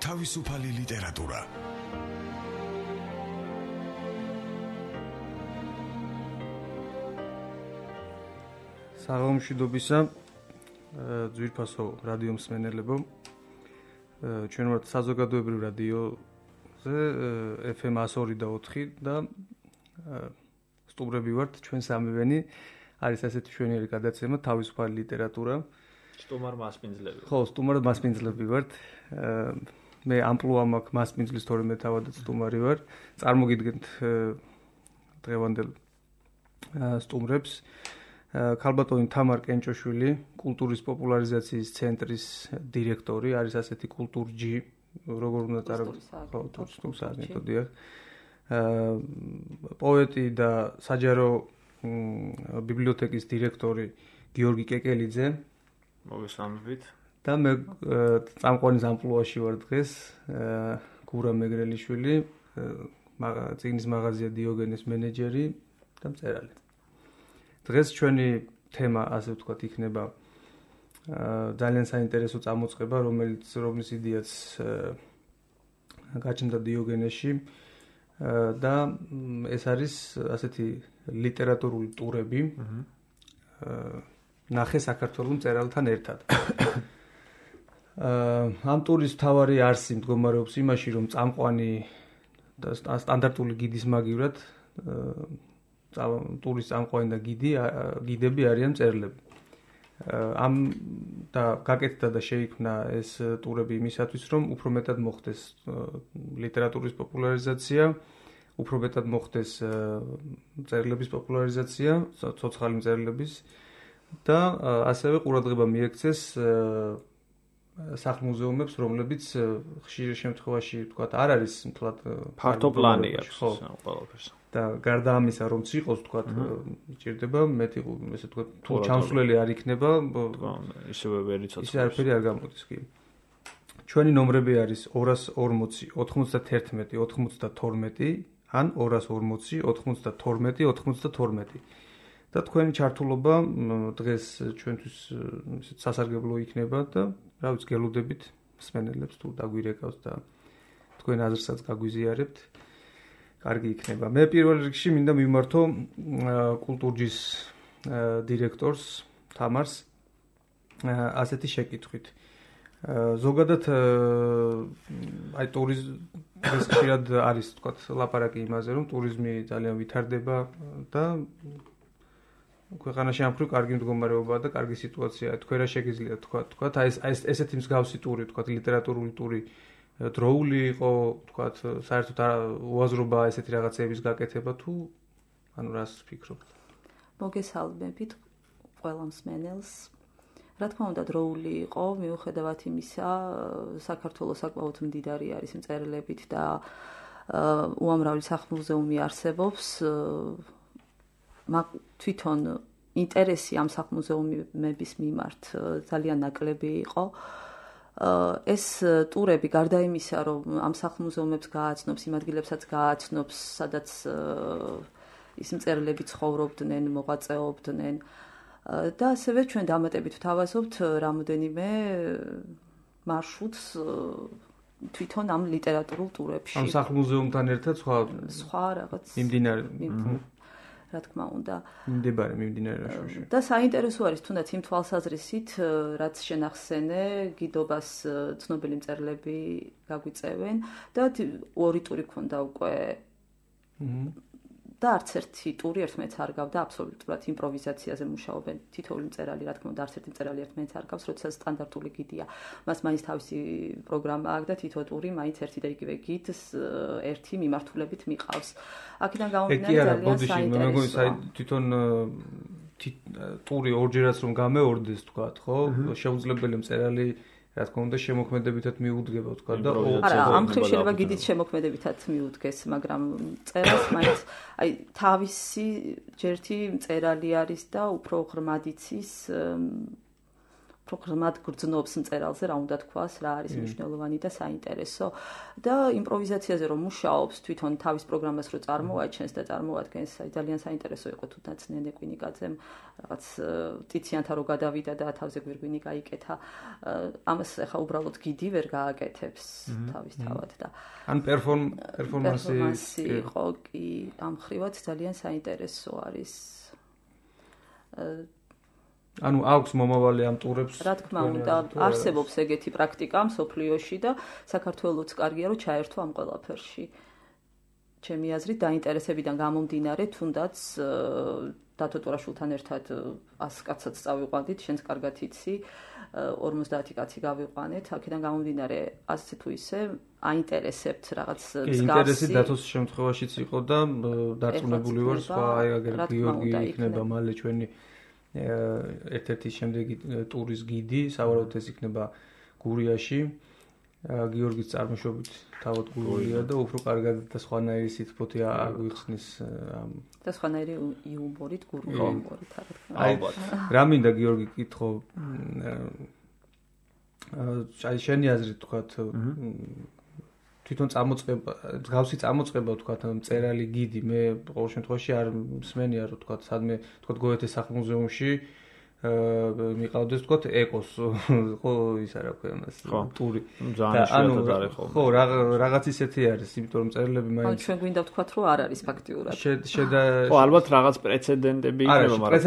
თავისუფალი ლიტერატურა. საღამომშვიდობისა, ძვირფასო რადიო მსმენელებო. ჩვენ ვართ საზოგადოებრივ რადიოზე FM 102.4 და სტუმრები ვართ ჩვენ სამივენი. არის ასეთი მშვენიერი გადაცემა თავისუფალი ლიტერატურა. სტუმარ მასპინძლები. ხო, სტუმარ მასპინძლები ვართ. მე ამპლუა მაქვს მასპინძლის, თორემე თავადაც სტუმარი ვარ. წარმოგიდგენთ დღევანდელ სტუმრებს. ქალბატონი თამარ კენჭოშვილი, კულტურის პოპულარიზაციის ცენტრის დირექტორი, არის ასეთი კულტურჯი, როგორ უნდა წარდგინოთ. პოეტი და საჯარო ბიბლიოთეკის დირექტორი გიორგი კეკელიძე. მოგესალმებით. და მე წამყვანის ამპლუაში ვარ დღეს, გურა მეგრელიშვილი, წიგნის მაღაზია დიოგენეს მენეჯერი და მწერალი. დღეს ჩვენი თემა, ასე ვთქვათ, იქნება ძალიან საინტერესო წამოწყება, რომლის იდეაც გაჩნდა დიოგენესში და ეს არის ასეთი ლიტერატურული ტურები. ნახე საქართველოს მწერალთან ერთად. ამ ტურის მთავარი არსი მდგომარეობს იმაში, რომ წამყვანი და სტანდარტული გიდის მაგივრად ტურის წამყვანი და გიდები არიან მწერლები. ამ და გაკეთდა და შეიქმნა ეს ტურები იმისათვის, რომ უფრო მეტად მოხდეს ლიტერატურის პოპულარიზაცია, უფრო მეტად მოხდეს მწერლების პოპულარიზაცია, ცოცხალი მწერლების და ასევე ყურადღება მიექცეს სახლ-მუზეუმებს, რომლებიც ხშირ შემთხვევაში, ვთქვათ, არ არის მთლად ფართო პლანი აქვს ყველაფერს. და გარდა ამისა, რომც იყოს, ვთქვათ, ჭირდება მეტი, ესე ვთქვათ, თუ ჩამსვლელი არ იქნება, ისევე ვერ იცოცხლებს. ისე არაფერი არ გამოდის კი. ჩვენი ნომრები არის 240 91 92 ან 240 92 92. და თქვენი ჩართულობა დღეს ჩვენთვის სასარგებლო იქნება და რა ვიცი, გელუდებით მსმენელებს თუ დაგვირეკავს და თქვენ აზრსაც გაგვიზიარებთ. კარგი იქნება. მე პირველ რიგში მინდა მიმართო კულტურჯის დირექტორს თამარს ასეთი შეკითხვით. ზოგადად აი ტურიზმი ხშირად არის, ვთქვათ, ლაპარაკი იმაზე, რომ ტურიზმი ძალიან ვითარდება და ქვეყანაში ამ მხრივ კარგი მდგომარეობაა და კარგი სიტუაციაა. თქვენ რა შეგიძლიათ თქვათ, აი ესეთი მსგავსი ტური, ვთქვათ, ლიტერატურული ტური დროული იყო, ვთქვათ, საერთოდ უაზრობა ესეთი რაღაცების გაკეთება თუ ანუ რას ფიქრობთ? მოგესალმებით ყველა მსმენელს. რა თქმა უნდა, დროული იყო, მიუხედავად იმისა, საქართველოს საკმაოდ მდიდარი არის მწერლებით და უამრავი სახლ-მუზეუმი არსებობს. თვითონ ინტერესი ამ სახლ-მუზეუმების მიმართ ძალიან ნაკლები იყო. ეს ტურები გარდა იმისა, რომ ამ სახლ-მუზეუმებს გააცნობს, იმ ადგილებსაც გააცნობს, სადაც ის მწერლები ცხოვრობდნენ, მოღვაწეობდნენ და ასევე ჩვენ დამატებით ვთავაზობთ რამოდენიმე მარშრუტს თვითონ ამ ლიტერატურულ ტურებში. ამ სახლ-მუზეუმთან ერთად სხვა რაღაც მიმდინარე რა თქმა უნდა. მიმდინარე რაშოში. და საინტერესო არის თუნდაც იმ თვალსაზრისით, რაც შენახსენე, გიდობას ცნობილი მწერლები გაგვიწევენ და ორი ტური ქონდა უკვე. და არც ერთი ტური ერთმანეთს არ გავდა, აბსოლუტურად იმპროვიზაციაზე მუშაობენ. თითოეული მწერალი, რა თქმა უნდა, არც ერთი მწერალი ერთმანეთს არ გავს, როდესაც სტანდარტული გიდია. მას მაინც თავისი პროგრამა აქვს და თითო ტური მაინც ერთი და იგივე გიდს ერთი მიმართულებით მიყავს. აქედან გამომდინარე ძალიან საინტერესოა. თვითონ ტური ორჯერაც რომ გამეორდეს, თქვათ, ხო? შეუძლებელი მწერალი რა თქმა უნდა შემოქმედებითად მიუდგება, თქვა და არა, ამ მხრივ შეიძლება გიდით შემოქმედებითად მიუდგეს, მაგრამ წერას მაინც აი თავისი ჯერთი მწერალი არის და უფრო ღრმად იცის პროგრამად გრძნობს მწერალზე, რა უნდა თქვას, რა არის მნიშვნელოვანი და საინტერესო და იმპროვიზაციაზე რომ მუშაობს, თვითონ თავის პროგრამას რო წარმოაჩენს და წარმოადგენს, ძალიან საინტერესო იყო თუ ნაცნე კვინიკაძემ რაღაც ტიციანთა რო გადავიდა და თავზე გვირგვინი გაიკეთა. ამას ახლა უბრალოდ გიდი ვერ გააკეთებს თავისთავად და ან პერფორმანსი იყო კი ამ ხრივაც ძალიან საინტერესო არის. ანუ აქვს მომავალი ამ ტურებს. რა თქმა უნდა, არსებობს ეგეთი პრაქტიკა მსოფლიოში და საქართველოც კარგია რომ ჩაერთო ამ ყველაფერში. ჩემი აზრით დაინტერესებიდან გამომდინარე, თუნდაც დათო ტურაშვილთან ერთად 100 კაცსაც წავიყვანდით, შენც კარგად იცი, 50 კაცი გავიყვანეთ, აქედან გამომდინარე, ასე თუ ისე აინტერესებთ რაღაც მსგავსი. ინტერესი დათოს შემთხვევაშიც იყო და დარწმუნებული ვარ, სხვა აგერ გიორგი იქნება მალე ჩვენი ერთ-ერთი შემდეგი ტურის გიდი, სავარაუდოდ ეს იქნება გურიაში. გიორგის წარმოშობით თავად გურია და უფრო კარგად და სხვანაირი სიტყვოთი აგვიხსნის და სხვანაირი იუმორით, გურული იუმორით, ალბათ. რა მინდა გიორგი კითხო, აი შენი აზრით თქვათ თვითონ წამოწყება, მსგავსი წამოწყება თქვათ მწერალი გიდი, მე ყოველ შემთხვევაში არ მსმენია რომ თქვათ სადმე თქვათ გოეთეს სახლ-მუზეუმში მიყავდეს თქვათ ეკოს ხო ის არა ქვია მას ტური ძალიან არის ხოლმე. ხო რაღაც ისეთი არის, იმიტომ რომ მწერლები მაინც ჩვენ გვინდა ვთქვათ რომ არ არის ფაქტიურად. ხო ალბათ რაღაც პრეცედენტები იქნება, მაგრამ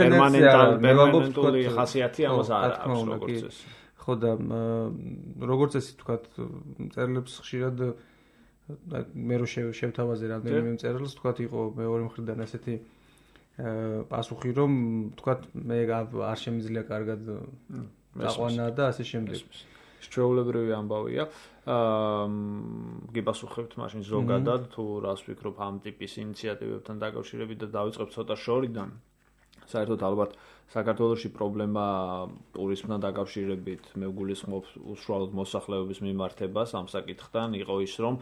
პერმანენტული ხასიათი ამას არ აქვს როგორც ეს. ხო და როგორც ეს თქვათ მწერლებს ხშირად მე რო შევთავაზე რამდენიმე მწერალს თქვათ იყო მეორე მხრიდან ასეთი პასუხი რომ თქვათ მე არ შემიძლია კარგად დაყვანა და ასე შემდეგ. შეულებრივი ამბავია. გიპასუხებთ მაშინ ზოგადად თუ რას ვფიქრობ ამ ტიპის ინიციატივებთან დაკავშირებით და დავიწყებ ცოტა შორიდან. საერთოდ ალბათ საქართველოში პრობლემა ტურიზმთან დაკავშირებით მე ვგულისხმობ უშუალოდ მოსახლეობის მიმართებას ამ საკითხთან იყო ის რომ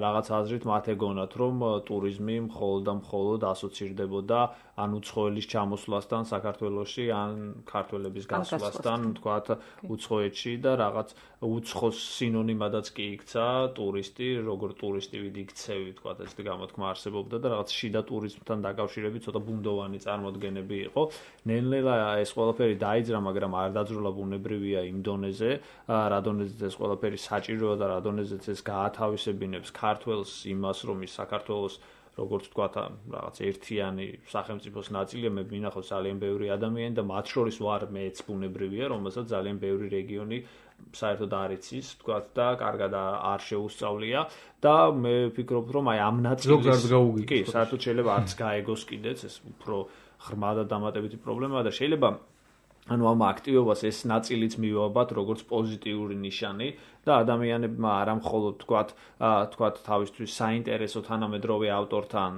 რაღაც აზრით მათ ეგონათ რომ ტურიზმი მხოლოდ და მხოლოდ ასოცირდებოდა ან უცხოელის ჩამოსვლასთან საქართველოში ან ქართველების გასვლასთან თქვათ უცხოეთში და რაღაც უცხოს სინონიმადაც კი იქცა ტურისტი როგორ ტურისტი ვიდი იქცევი თქვათ ესეთი გამოთქმა არსებობდა და რაღაც შიდა ტურიზმთან დაკავშირებით ცოტა ბუნდოვანი წარმოდგენები იყო. ნელ-ნელა ეს ყველაფერი დაიძრა, მაგრამ არ დაძროლა ბუნებრივია იმ დონეზე, რა დონეზეც ეს ყველაფერი საჭიროა და რა დონეზეც ეს გაათავისებინებს ქართველს იმას, რომ ის საქართველოს როგორც თქვა რაღაც ერთიანი სახელმწიფოს ნაწილია, მე მინახავს ძალიან ბევრი ადამიანი და მათ შორის ვარ მეც ბუნებრივია, რომელსაც ძალიან ბევრი რეგიონი საერთოდ არ იცის, თქვა და კარგად არ შეუსწავლია და მე ვფიქრობ, რომ აი ამ ნაწილს კი, საერთოდ შეიძლება არც გაეგოს კიდეც ეს უფრო ღრმა და დამატებითი პრობლემაა და შეიძლება ანუ ამ აქტივობას ეს ნაწილიც მივაბათ როგორც პოზიტიური ნიშანი და ადამიანებმა არა მხოლოდ თქვათ თავისთვის საინტერესო თანამედროვე ავტორთან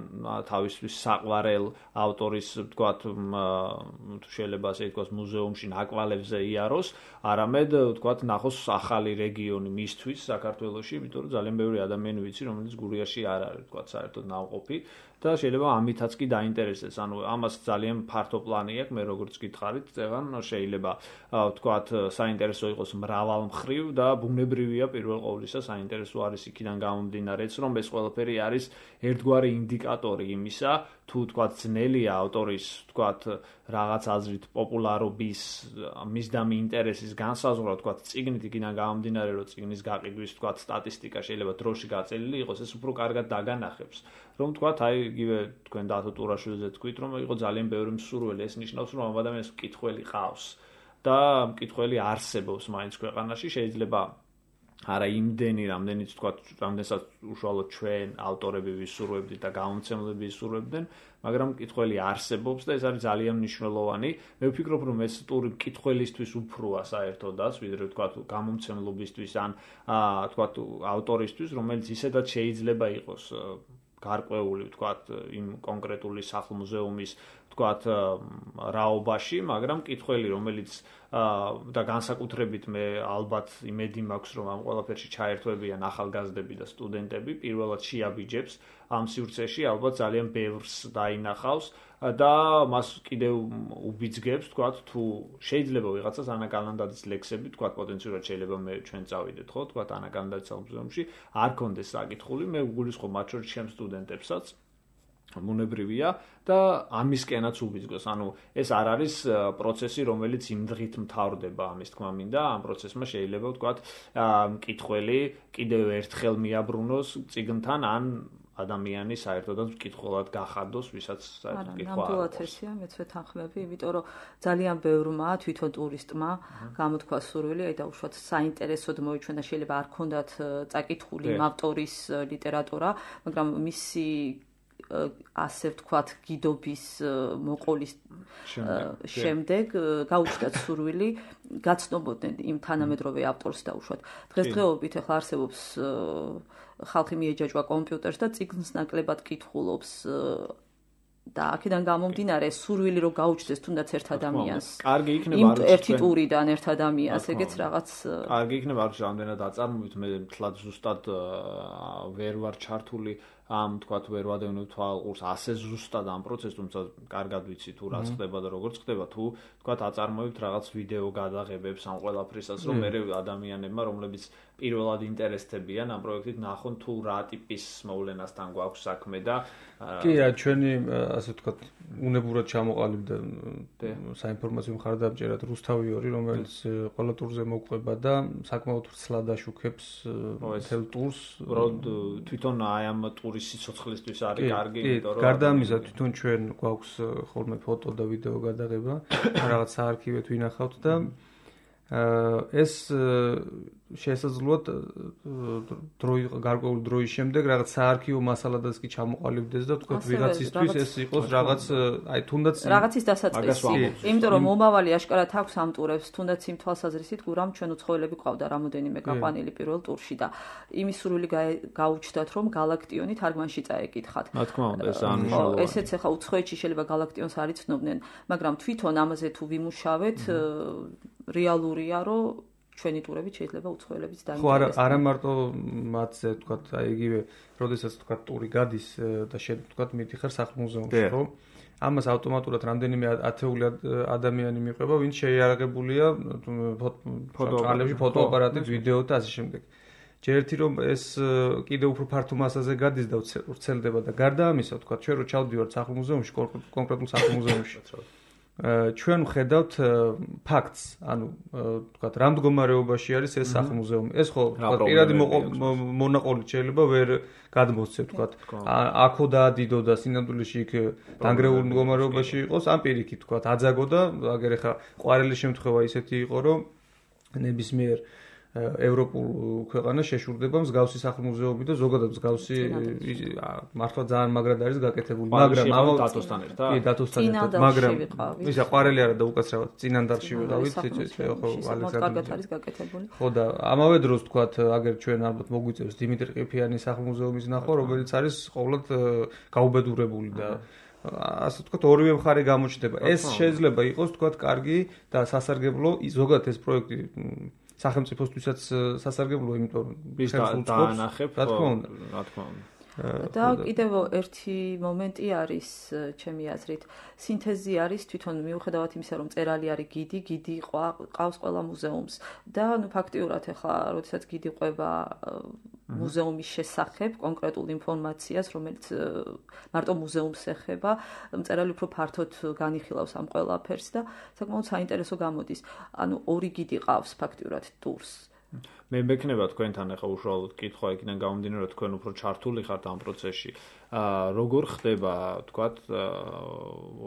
თავისთვის საყვარელ ავტორის თქვათ შეიძლება ასე ითქვას მუზეუმში ნაკვალებზე იაროს, არამედ თქვათ ნახოს ახალი რეგიონი მისთვის საქართველოში, იმიტომ რომ ძალიან ბევრი ადამიანი ვიცი, რომელიც გურიაში არ არის თქვათ საერთოდ ნავყოფი და შეიძლება ამითაც კი დაინტერესდეს. ანუ ამას ძალიან ფართო პლანი აქვს, მე როგორც გითხარით, წევან შეიძლება თქვათ საინტერესო იყოს მრავალმხრივ და ბუნებრივია პირველ ყოვლისა საინტერესო არის იქიდან გამომდინარეც, რომ ეს ყველაფერი არის ერთგვარი ინდიკატორი იმისა, თუ თქვათ ძნელია ავტორის თქვათ რაღაც აზრით პოპულარობის მისდამი ინტერესის განსაზღვრა თქვათ წიგნით იქიდან გამომდინარე, რომ წიგნის გაყიდვის თქვათ სტატისტიკა შეიძლება დროში გაწელილი იყოს, ეს უფრო კარგად დაგანახებს. რომ თქვათ აი იგივე თქვენ დათო ტურაშვილზე თქვით რომ იყო ძალიან ბევრი მსურველი, ეს ნიშნავს რომ ამ ადამიანს მკითხველი ყავს და მკითხველი არსებობს მაინც ქვეყანაში, შეიძლება არა იმდენი რამდენიც თქვათ რამდენსაც უშუალოდ ჩვენ ავტორები ვისურვებდით და გამომცემლები ვისურვებდნენ, მაგრამ მკითხველი არსებობს და ეს არის ძალიან მნიშვნელოვანი. მე ვფიქრობ რომ ეს ტური მკითხველისთვის უფროა საერთოდაც, ვიდრე თქვათ გამომცემლობისთვის ან თქვათ ავტორისთვის, რომელიც ისედაც შეიძლება იყოს გარკვეული თქვათ იმ კონკრეტული სახლ-მუზეუმის თქვათ რაობაში, მაგრამ მკითხველი, რომელიც და განსაკუთრებით მე ალბათ იმედი მაქვს, რომ ამ ყველაფერში ჩაერთვებიან ახალგაზრდები და სტუდენტები, პირველად შეაბიჯებს ამ სივრცეში, ალბათ ძალიან ბევრს დაინახავს და მას კიდევ უბიძგებს, თქვათ, თუ შეიძლება ვიღაცას ანა კალანდაძის ლექსები, თქვათ, პოტენციურად შეიძლება მე ჩვენ წავიდეთ, ხო, თქვათ, ანა კალანდაძის მუზეუმში, არ კონდეს საკითხული, მე ვგულისხმობ მათ შორის ჩემს სტუდენტებსაც მონებრივია და ამისკენაც უბიძგოს. ანუ ეს არ არის პროცესი, რომელიც იმ დღით მთავრდება, ამის თქმა მინდა, ამ პროცესმა შეიძლება ვთქვათ, მკითხველი კიდევ ერთხელ მიაბრუნოს წიგნთან ან ადამიანი საერთოდაც მკითხველად გახადოს, ვისაც საერთოდ მკითხვა არ აქვს. ნამდვილად ესეა, მეც ვეთანხმები, იმიტომ რომ ძალიან ბევრმა თვითონ ტურისტმა გამოთქვა სურვილი, აი დაუშვათ საინტერესოდ მოიჩვენა, შეიძლება არ ქონდათ წაკითხული იმ ავტორის ლიტერატურა, მაგრამ მისი ასე ვთქვათ გიდობის მოყოლის შემდეგ გაუჩნდათ სურვილი გაცნობოდნენ იმ თანამედროვე ავტორს დაუშვათ. დღესდღეობით ახლა არსებობს ხალხი მიეჯაჭვა კომპიუტერს და წიგნს ნაკლებად კითხულობს და აქედან გამომდინარე სურვილი რომ გაუჩნდეს თუნდაც ერთ ადამიანს. კარგი იქნება არ ერთი ტურიდან ერთ ადამიანს, ეგეც რაღაც კარგი იქნება არ ვიცი რამდენად აწარმოებით, მე თლად ზუსტად ვერ ვარ ჩართული ამ თქვათ ვერ ვადევნებ თვალყურს ასე ზუსტად ამ პროცესს, თუმცა კარგად ვიცი თუ რა ხდება და როგორ ხდება, თუ თქვათ აწარმოებთ რაღაც ვიდეო გადაღებებს ამ ყველაფრისას, რომ მე ადამიანებმა, რომლებიც პირველად ინტერესდებიან ამ პროექტით, ნახონ თუ რა ტიპის მოვლენასთან გვაქვს საქმე და კი, ჩვენი ასე ვთქვათ, უნებურად ჩამოყალიბდა საინფორმაციო მხარდამჭერად რუსთავი 2, რომელიც ყველა ტურზე მოყვება და საკმაოდ ვრცლად აშუქებს მთელ ტურს. თვითონ აი ამ ტურის სიცოცხლისთვის არის კარგი, იმიტომ რომ გარდა ამისა, თვითონ ჩვენ გვაქვს ხოლმე ფოტო და ვიდეო გადაღება, რაღაც საარქივეთ ვინახავთ და ეს შესაძლოა გარკვეული დროის შემდეგ რაღაც საარქივო მასალადაც კი ჩამოყალიბდეს და თქვათ ვიღაცისთვის ეს იყოს რაღაც აი თუნდაც რაღაცის დასაწყისი. იმიტომ რომ მომავალი აშკარად აქვს ამ ტურებს, თუნდაც იმ თვალსაზრისით, გურამ ჩვენ უცხოელები ყავდა რამოდენიმე გაყვანილი პირველ ტურში და იმის სურვილი გაუჩნდათ, რომ galaktioni თარგმანში წაეკითხათ. რა თქმა უნდა, ეს ანიშნავია. ესეც ახლა უცხოეთში შეიძლება galaktions არ იცნობდნენ, მაგრამ თვითონ ამაზე თუ ვიმუშავეთ, რეალურია, რომ ჩვენი ტურებით შეიძლება უცხოელებიც დაინტერესდნენ. ხო, არა მარტო მათზე, თქვათ, აი იგივე, როდესაც თქვათ ტური გადის და შენ თქვათ მიდიხარ სახლ-მუზეუმში, ხო? ამას ავტომატურად რამდენიმე ათეული ადამიანი მიყვება, ვინც შეიარაღებულია ფოტოაპარატით, ვიდეო და ასე შემდეგ. ჯერ ერთი რომ ეს კიდევ უფრო ფართო მასაზე გადის და ვრცელდება და გარდა ამისა, თქვათ, ჩვენ რო ჩავდივართ სახლ-მუზეუმში, კონკრეტულ სახლ-მუზეუმში ჩვენ ვხედავთ ფაქტს, ანუ თქვათ, რა მდგომარეობაში არის ეს სახლ-მუზეუმი. ეს ხო, თქვათ, პირადი მონაყოლით შეიძლება ვერ გადმოსცე, თქვათ, აქო დაადიდო და სინამდვილეში იქ დანგრეულ მდგომარეობაში იყოს, ან პირიქით, თქვათ, აძაგო და აგერ ახლა ყვარელი შემთხვევა ისეთი იყო, რომ ნებისმიერ ევროპულ ქვეყანას შეშურდება მსგავსი სახლ-მუზეუმი და ზოგადად მსგავსი მართლა ძალიან მაგრად არის გაკეთებული, მაგრამ დათოსთან ერთად? კი, დათოსთან ერთად, მაგრამ ისა ყვარელი არა და უკაცრავად წინანდალში ვიყავით, ხო, ალექსანდრე არის გაკეთებული. ხო და ამავე დროს თქვათ, აგერ ჩვენ ალბათ მოგვიწევს დიმიტრი ყიფიანის სახლ-მუზეუმის ნახვა, რომელიც არის ყოველად გაუბედურებული და ასე ვთქვათ, ორივე მხარე გამოჩნდება. ეს შეიძლება იყოს, ვთქვათ, კარგი და სასარგებლო, ზოგადად ეს პროექტი სახელმწიფოსთვისაც სასარგებლოა, იმიტომ რომ დაანახებ, რა თქმა უნდა. და კიდევ ერთი მომენტი არის, ჩემი აზრით, სინთეზი არის თვითონ მიუხედავად იმისა, რომ წერალი არის გიდი ყავს ყველა მუზეუმს და ნუ ფაქტიურად ახლა, როდესაც გიდი ყვება მუზეუმის შესახებ კონკრეტულ ინფორმაციას, რომელიც მარტო მუზეუმს ეხება, მწერალი უფრო ფართოდ განიხილავს ამ ყველაფერს და საკმაოდ საინტერესო გამოდის. ანუ ორი გიდი ყავს ფაქტიურად ტურს. მე მექნება თქვენთან ახლა უშუალოდ კითხვა იქიდან გამომდინარე, რომ თქვენ უფრო ჩართული ხართ ამ პროცესში. როგორ ხდება, თქვათ,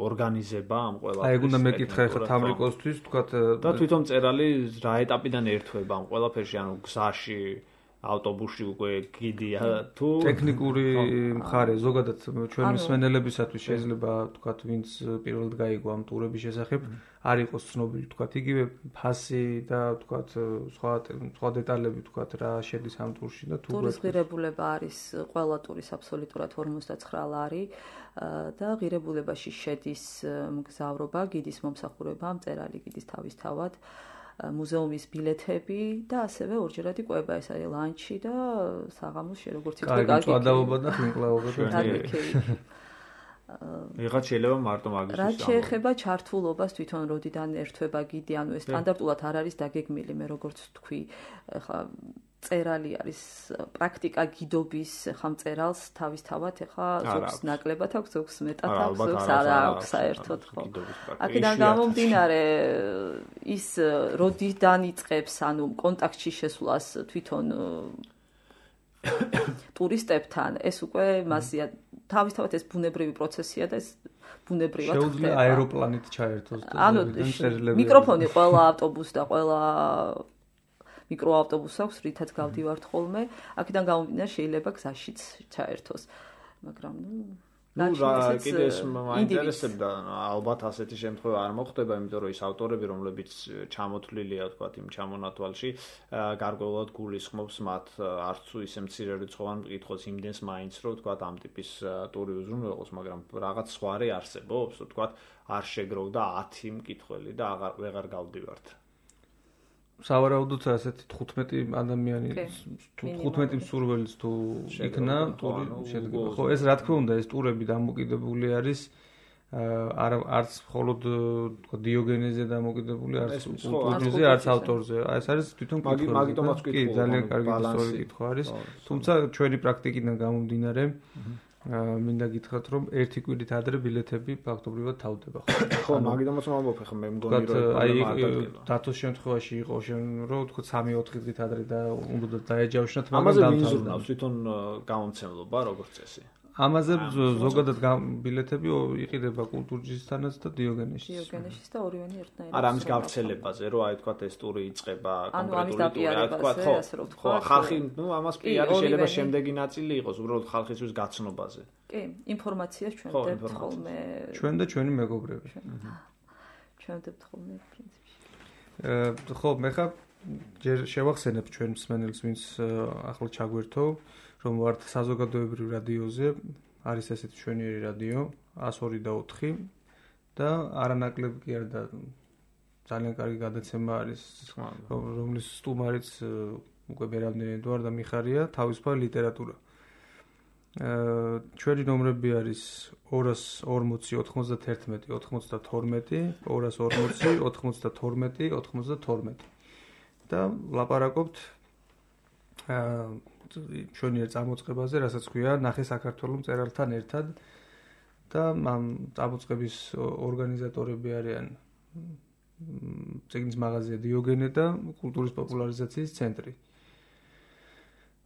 ორგანიზება ამ ყველაფერს? აი, უნდა მეკითხა ახლა თამრიკოსთვის, თქვათ, და თვითონ წერალი რა ეტაპიდან ერთვება ამ ყველაფერში, ანუ გზაში ავტობუსში უკვე გიდია თუ ტექნიკური მხარე ზოგადად ჩვენი მსმენელებისათვის შეიძლება თქვათ ვინც პირველად გაიგო ამ ტურების შესახებ არ იყოს ცნობილი თქვათ იგივე ფასი და თქვათ სხვა დეტალები თქვათ რა შედის ამ ტურში და თუ ტურის ღირებულება არის ყველა ტურის აბსოლუტურად 59 ლარი და ღირებულებაში შედის მგზავრობა, გიდის მომსახურება, მწერალი გიდის თავისთავად მუზეუმის ბილეთები და ასევე ორჯერადი კვება, ეს არის ლანჩი და საღამოს როგორც ითქვა, კარგი წვადაობა და ხმკლაობა და იღაც შეიძლება მარტო მაგის რა შეეხება ჩართულობას თვითონ როდიდან ერთვება გიდი, ანუ ეს სტანდარტულად არ არის დაგეგმილი, მე როგორც თქვი, ხა წერალი არის პრაქტიკა გიდობის ხამწერალს თავისთავად ეხა ზოგს ნაკლებად აქვს, ზოგს მეტად აქვს, ზოგს არ აქვს საერთოდ ხო. აქედან გამომდინარე ის როდიდან იწყებს, ანუ კონტაქტში შესვლას თვითონ ტურისტებთან, ეს უკვე მასია თავისთავად ეს ბუნებრივი პროცესია და ეს ბუნებრივად ხდება. შეუძლია აეროპლანით ჩაერთოს და ანუ მიკროფონი ყველა ავტობუსს და ყველა მიკროავტობუსს აქვს, რითაც გავდივართ ხოლმე. აქედან გამომდინარე შეიძლება გზაშიც ჩაერთოს. მაგრამ კიდე ეს მაინტერესებდა, ალბათ ასეთი შემთხვევა არ მოხდება, იმიტომ რომ ის ავტორები, რომლებიც ჩამოთვლილია, თქვათ, იმ ჩამონათვალში, გარკვეულად გულისხმობს მათ არც თუ ისე მცირე რიცხოვან მკითხოს იმდენს მაინც, რომ თქვათ, ამ ტიპის ტური უზრუნველყოს, მაგრამ რაღაც სხვარი არსებობს, თქვათ, არ შეგროვდა 10 მკითხველი და ვეღარ გავდივართ. სავარაუდოდ ასეთი 15 ადამიანი თუ 15 მსურველიც თუ იქნა ტური შედგება. ხო, ეს რა თქმა უნდა, ეს ტურები დამოკიდებული არის არც მხოლოდ დიოგენეზე დამოკიდებული, არც კულტურაზე, არც ავტორზე. ეს არის თვითონ კითხვა. მაგიტომაც კი, ძალიან კარგი ისტორიული კითხვა არის. თუმცა ჩვენი პრაქტიკიდან გამომდინარე მინდა გითხრათ, რომ ერთი კვირით ადრე ბილეთები ფაქტობრივად თავდება. ხო, მაგიტომაც ვამბობ, ხა მე მგონი რომ აი დათოს შემთხვევაში იყო რომ თქო 3-4 დღით ადრე და უნდა დაეჯავშნათ, მაგრამ ამაზე ვიზურნავს თვითონ გამომცემლობა როგორც წესი. ამაზე ზოგადად ბილეთები იყიდება კულტურჯისთანაც და დიოგენეშიც. დიოგენეშიც და ორივენი ერთნაირად. არა, ამის გავრცელებაზე, რომ აი თქვა ეს ტური იწყება კონკრეტული ტური, აი თქვა, ხო, ხალხი, ამას პიარი შეიძლება შემდეგი ნაწილი იყოს, უბრალოდ ხალხისთვის გაცნობაზე. კი, ინფორმაციას ჩვენდებთ ხოლმე. ჩვენ და ჩვენი მეგობრები. ჩვენდებთ ხოლმე პრინციპში. ხო, მე ხა ჯერ შევახსენებ ჩვენ მსმენელს, ვინც ახლა ჩაგვერთო. რომ ვართ საზოგადოებრივ რადიოზე, არის ესეთი ჩვენიერი რადიო 102 და 4 და არანაკლებ კი არ და ძალიან კარგი გადაცემა არის, რომლის სტუმარიც უკვე ბერამდენად ვარ და მიხარია თავისუფალი ლიტერატურა. ჩვენი ნომრები არის 240 91 92 240 92 92 და ლაპარაკობთ ჩვენიერ წამოწყებაზე, რასაც ქვია ნახე საქართველოს მწერალთან ერთად და ამ წამოწყების ორგანიზატორები არიან წიგნის მაღაზია დიოგენე და კულტურის პოპულარიზაციის ცენტრი.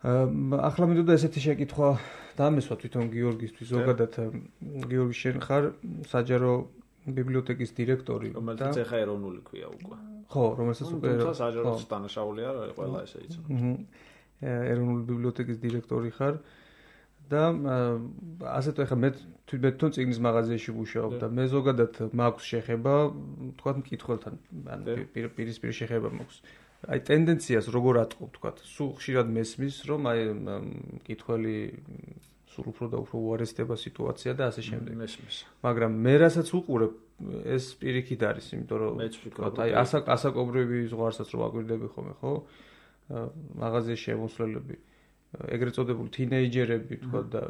ახლა მინდოდა ესეთი შეკითხვა დამესვა თვითონ გიორგისთვის, ზოგადად გიორგი შენ ხარ საჯარო ბიბლიოთეკის დირექტორი და რომელსაც ახლა ეროვნული ქვია უკვე. ხო, რომელსაც უკვე საჯარო დანაშაული არ არის, ყველა ესე იცის. ეროვნული ბიბლიოთეკის დირექტორი ხარ და ასეთ ახლა მე თვითონ წიგნის მაღაზიაში ვუშაობ და მე ზოგადად მაქვს შეხება, თქვათ მკითხველთან, ან პირისპირ შეხება მაქვს. აი ტენდენციას როგორ ატყობ, თქვათ, სულ ხშირად მესმის, რომ აი მკითხველი სულ უფრო და უფრო უარესდება სიტუაცია და ასე შემდეგ. მესმის. მაგრამ მე რასაც უყურებ, ეს პირიქით არის, იმიტომ რომ თქვათ, აი ასაკობრივი ზღვარსაც რო აკვირდები ხოლმე, ხო? მაღაზიაში შემოსვლელები, ეგრეთ წოდებული თინეიჯერები, თქვა და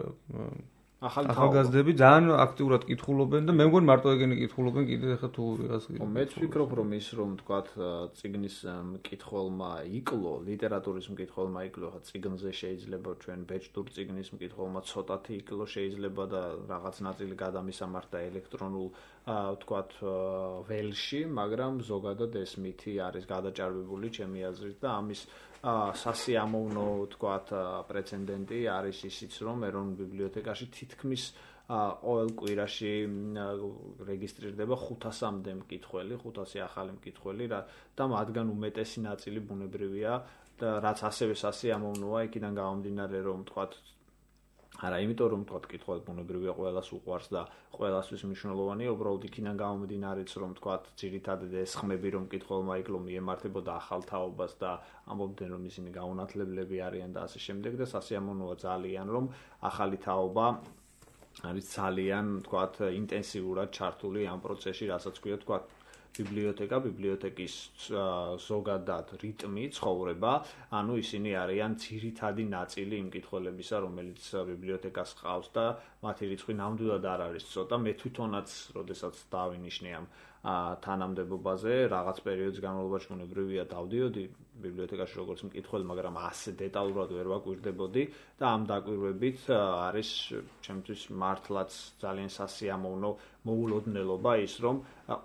ახალგაზრდები ძალიან აქტიურად კითხულობენ და მე მგონი მარტო ეგენი კითხულობენ კიდე ახლა თუ ვიღაც. ხო, მეც ვფიქრობ, რომ ის რომ თქვა წიგნის მკითხველმა იკლო, ლიტერატურის მკითხველმა იკლო, ხა წიგნზე შეიძლება ჩვენ ბეჭდურ წიგნის მკითხველმა ცოტათი იკლო შეიძლება და რაღაც ნაწილი გადამისამართა ელექტრონულ თქვა ველში, მაგრამ ზოგადად ეს მითი არის გადაჭარბებული ჩემი აზრით და ამის სასიამოვნო თქვათ პრეცედენტი არის ისიც რომ ეროვნულ ბიბლიოთეკაში თითქმის ყოველ კვირაში რეგისტრირდება 500-მდე მკითხველი, 500 ახალი მკითხველი და მათგან უმეტესი ნაწილი ბუნებრივია რაც ასევე სასიამოვნოა, იქიდან გამომდინარე, რომ თქვათ არა, იმიტომ რომ თქვათ კითხვა ბუნებრივია ყველას უყვარს და ყველასთვის მნიშვნელოვანია, უბრალოდ იქიდან გამომდინარეც რომ თქვათ ძირითადად ეს ხმები რომ კითხულმა იკლო მიემართებოდა ახალ თაობას და ამბობდნენ რომ ისინი გაუნათლებლები არიან და ასე შემდეგ და სასიამოვნოა ძალიან რომ ახალი თაობა არის ძალიან თქვათ ინტენსიურად ჩართული ამ პროცესში, რასაც ქვია თქვათ ბიბლიოთეკის ზოგადად რიტმი, ცხოვრება, ანუ ისინი არიან ძირითადი ნაწილი იმ კითხველებისა, რომელიც ბიბლიოთეკას ჰყავს და მათი რიცხვი ნამდვილად არ არის ცოტა. მე თვითონაც, როდესაც დავინიშნე ამ თანამდებობაზე, რაღაც პერიოდის განმავლობაში ბუნებრივია დავდიოდი ბიბლიოთეკაში როგორც მკითხველი, მაგრამ ასე დეტალურად ვერ ვაკვირდებოდი და ამ დაკვირვებით არის ჩემთვის მართლაც ძალიან სასიამოვნო მოულოდნელობა ის, რომ